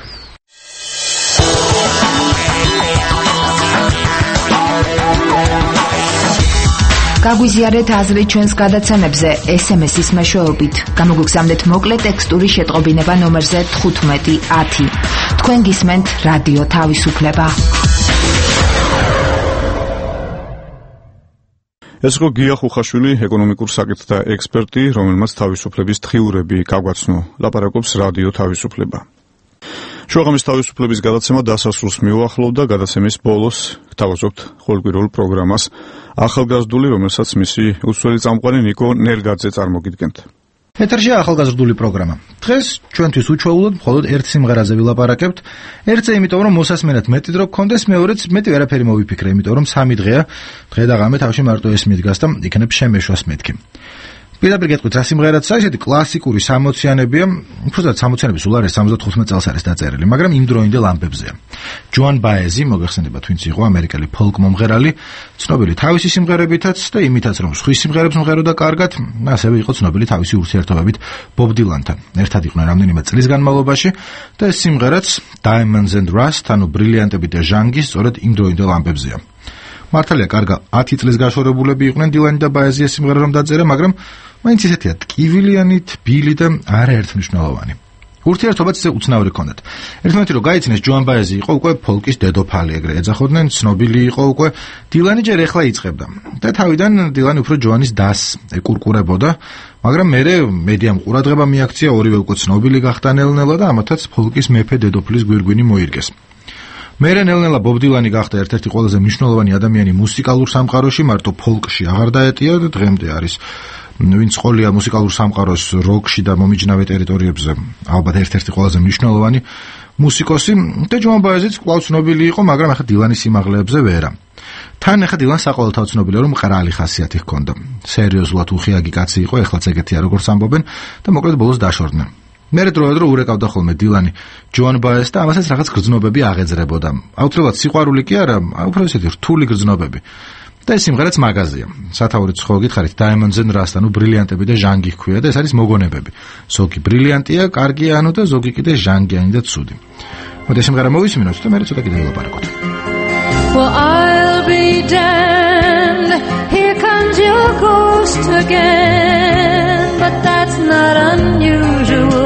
გაგვიზიარეთ აზრი ჩვენს გადაცემებზე SMS-ის მეშვეობით. გამოგვიგზავნეთ მოკლე ტექსტური შეტყობინება ნომერზე 1510. თქვენ გისმენთ რადიო თავისუფლება. ეს იყო გია ხუხაშვილი, ეკონომიკურ საკითხთა ექსპერტი, რომელმაც თავისუფლების თხიურები გაგვაცნო. ლაპარაკობს რადიო თავისუფლება. შუაღამის თავისუფლების გადაცემა დასასრულს მიუახლოვდა. გადაცემის ბოლოს გთავაზობთ ყოველკვირეულ პროგრამას ახალგაზრდული, რომელსაც მისი უცვლელი წამყვანი ნიკო ნერგაძე წარმოგიდგენთ. ეთერშია ახალგაზრდული პროგრამა. დღეს ჩვენთვის უჩვეულოდ მხოლოდ ერთ სიმღერაზე ვილაპარაკებთ. ერთზე იმიტომ, რომ მოსასმენად მეტი დრო გქონდეს, მეორეც მეტი ვერაფერი მოვიფიქრე, იმიტომ რომ 3 დღეა. დღე და ღამე თავში მარტო ეს მიდგას და იქნებ შემეშვას მეთქი. პირდაპირ გეტყვით, რა სიმღერაც არის, ესეთი კლასიკური 60-იანებია, უბრალოდ 60-იანების სულ არის 75 წელს არის დაწერილი, მაგრამ იმ დროინდელ ამბებზეა. ჯოან ბაეზი, მოგეხსენებათ, ვინც იყო ამერიკელი ფოლკ მომღერალი, ცნობილი თავისი სიმღერებითაც და იმითაც, რომ სხვის სიმღერებს მღეროდა კარგად, ასევე იყო ცნობილი თავისი ურთიერთობებით ბობ დილანთან. ერთად იყვნენ რამდენიმე წლის განმავლობაში და ეს სიმღერაც Diamonds and Rust, ანუ ბრილიანტები და ჟანგი, სწორედ იმ დროინდელ ამბებზეა. მართალია, კარგა 10 წლის გაშორებულები იყვნენ დილანი და ბაეზია სიმღერა რომ დაწერა, მაგრამ მაინც ისეთია ტკივილიანი, თბილი და არაერთმნიშვნელოვანი. ურთიერთობაც ისე უცნაური ჰქონდათ. ერთმანეთი რომ გაიცინეს, ჯოან ბაეზი იყო უკვე ფოლკის დედოფალი, ეგრე ეძახოდნენ, ცნობილი იყო უკვე. დილანი ჯერ ეხლა იწყებდა და თავიდან დილანი უფრო ჯოანის დასს ეკურკურებოდა, მაგრამ მერე მედიამ ყურადღება მიაქცია, ორივე უკვე ცნობილი გახდა ნელ-ნელა და ამათაც ფოლკის მეფე დედოფლის გვირგვინი მოირგეს. მერე ნელ-ნელა ბობ დილანი გახდა ერთ-ერთი ყველაზე მნიშვნელოვანი ადამიანი მუსიკალურ სამყაროში, მარტო ფოლკში აღარ დაეტია და დღემდე არის ვინც ყოლია მუსიკალურ სამყაროს როკში და მომიჯნავე ტერიტორიებზე, ალბათ ერთ-ერთი ყველაზე მნიშვნელოვანი მუსიკოსი და ჯოან ბაეზიც კვლავ ცნობილი იყო, მაგრამ ახლა დილანის სიმაღლეებზე ვერა. თან ახლა დილანს საყოველთაოდ ცნობილია, რომ მყრალი ხასიათი ჰქონდა. სერიოზულად უხიაგი კაცი იყო, ეხლაც ეგეთია როგორც ამბობენ და მოკლედ ბოლოს დაშორდნენ. მერე დროედრო ურეკავდა ხოლმე დილანი ჯოან ბაეზს და ამასაც რაღაც გრძნობები აღეძრებოდა. აუცილებლად სიყვარული კი არა, უფრო ისეთი რთული გრძნობები. და ეს სიმღერაც მაგაზია. სათაურიც ხო გითხარით, Diamonds and Rust, ანუ ბრილიანტები და ჟანგი ჰქვია და ეს არის მოგონებები. ზოგი ბრილიანტია, კარგია, ანუ და ზოგი კიდე ჟანგიანი და ცუდი. მოდი სიმღერა მოვისმინოთ და მერე ცოტა კიდე ვილაპარაკოთ. Well, I'll be damned, here comes your ghost again, but that's not unusual.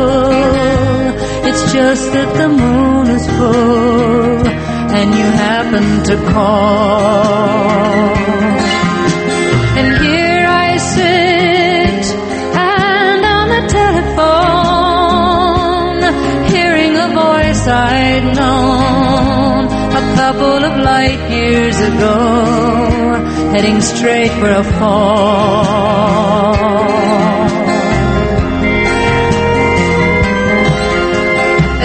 It's just that the moon is full and you happen to call. And here I sit and on the telephone, hearing a voice I'd known a couple of light years ago, heading straight for a fall.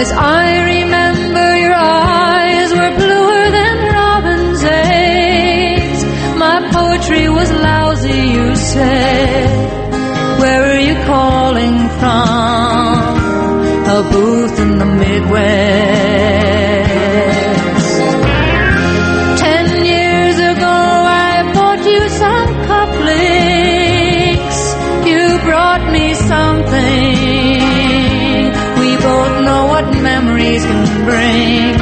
As I remember, your eyes were bluer than robin's eggs. My poetry was lousy, you said. Where are you calling from? A booth in the Midwest. 10 years ago I bought you some cufflinks. You brought me something. We both know what memories can bring.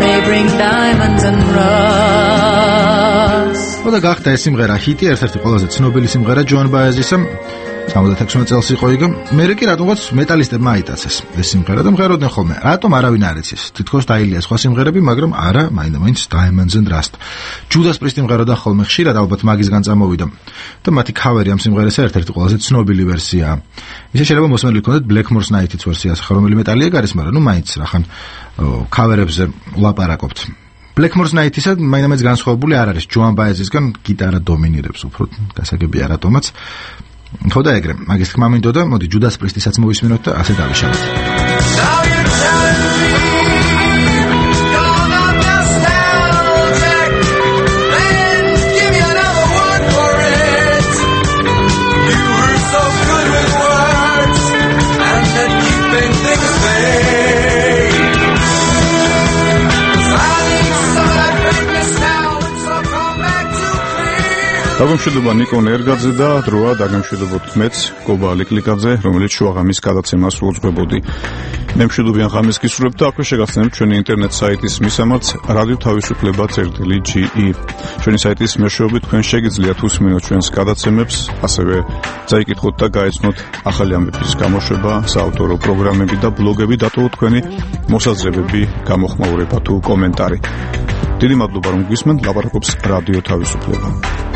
They bring diamonds and rust. და გახდა ეს სიმღერა ჰიტი, ერთ-ერთი ყველაზე ცნობილი სიმღერა ჯოან ბაეზისა. 76 წელს იყო იგი. მერე კი რატომღაც მეტალისტებმა აიტაცეს ეს სიმღერა და მღეროდნენ ხოლმე. რატომ არავინ არ იცის? თითქოს დაილია სხვა სიმღერები, მაგრამ არა, მაინდა-მაინც Diamonds and Rust. Judas Priest მღეროდა ხოლმე ხშირად, ალბათ მაგისგან წამოვიდა. და მათი ქავერი ამ სიმღერისა ერთ-ერთი ყველაზე ცნობილი ვერსიაა. ისე შეიძლება მოსმენილი ჰქონდეთ Blackmore's Night-იც ვერსია, რომელი მეტალია გარის, მაგრამ მაინც რახან ქავერებზე ვლაპარაკობთ. Blackmore's Night-ისა მაინდა-მაინც განსხვავებული არ არის. ჯოან ბაეზისგან გიტარა დომინირებს უფრო, გასაგებია რატომაც. ხო და ეგრე, მაგის თქმა მინდოდა, მოდი Judas Priest-ისაც მოვისმინოთ და ასე დავიშალოთ. დაგემშვიდობა ნიკო ნერგაძე და დროა დაგემშვიდობოთ მეც გობა ლიკლიკაძე, რომელიც შუაღამის გადაცემას უძღვებოდი. მე მშვიდობიან ღამეს გისურვებთ და აქვე შეგახსენებთ ჩვენი ინტერნეტ საიტის მისამართს radio-თავისუფლება.ge. ჩვენი საიტის მეშვეობით თქვენ შეგიძლიათ უსმინოთ ჩვენს გადაცემებს, ასევე წაიკითხოთ და გაეცნოთ ახალი ამბების გამოშვება, საავტორო პროგრამები და ბლოგები, დატოვოთ თქვენი მოსაზრებები, გამოხმაურება თუ კომენტარი. დიდი მადლობა რომ გვისმენთ, ლაპარაკობს რადიო თავისუფლება.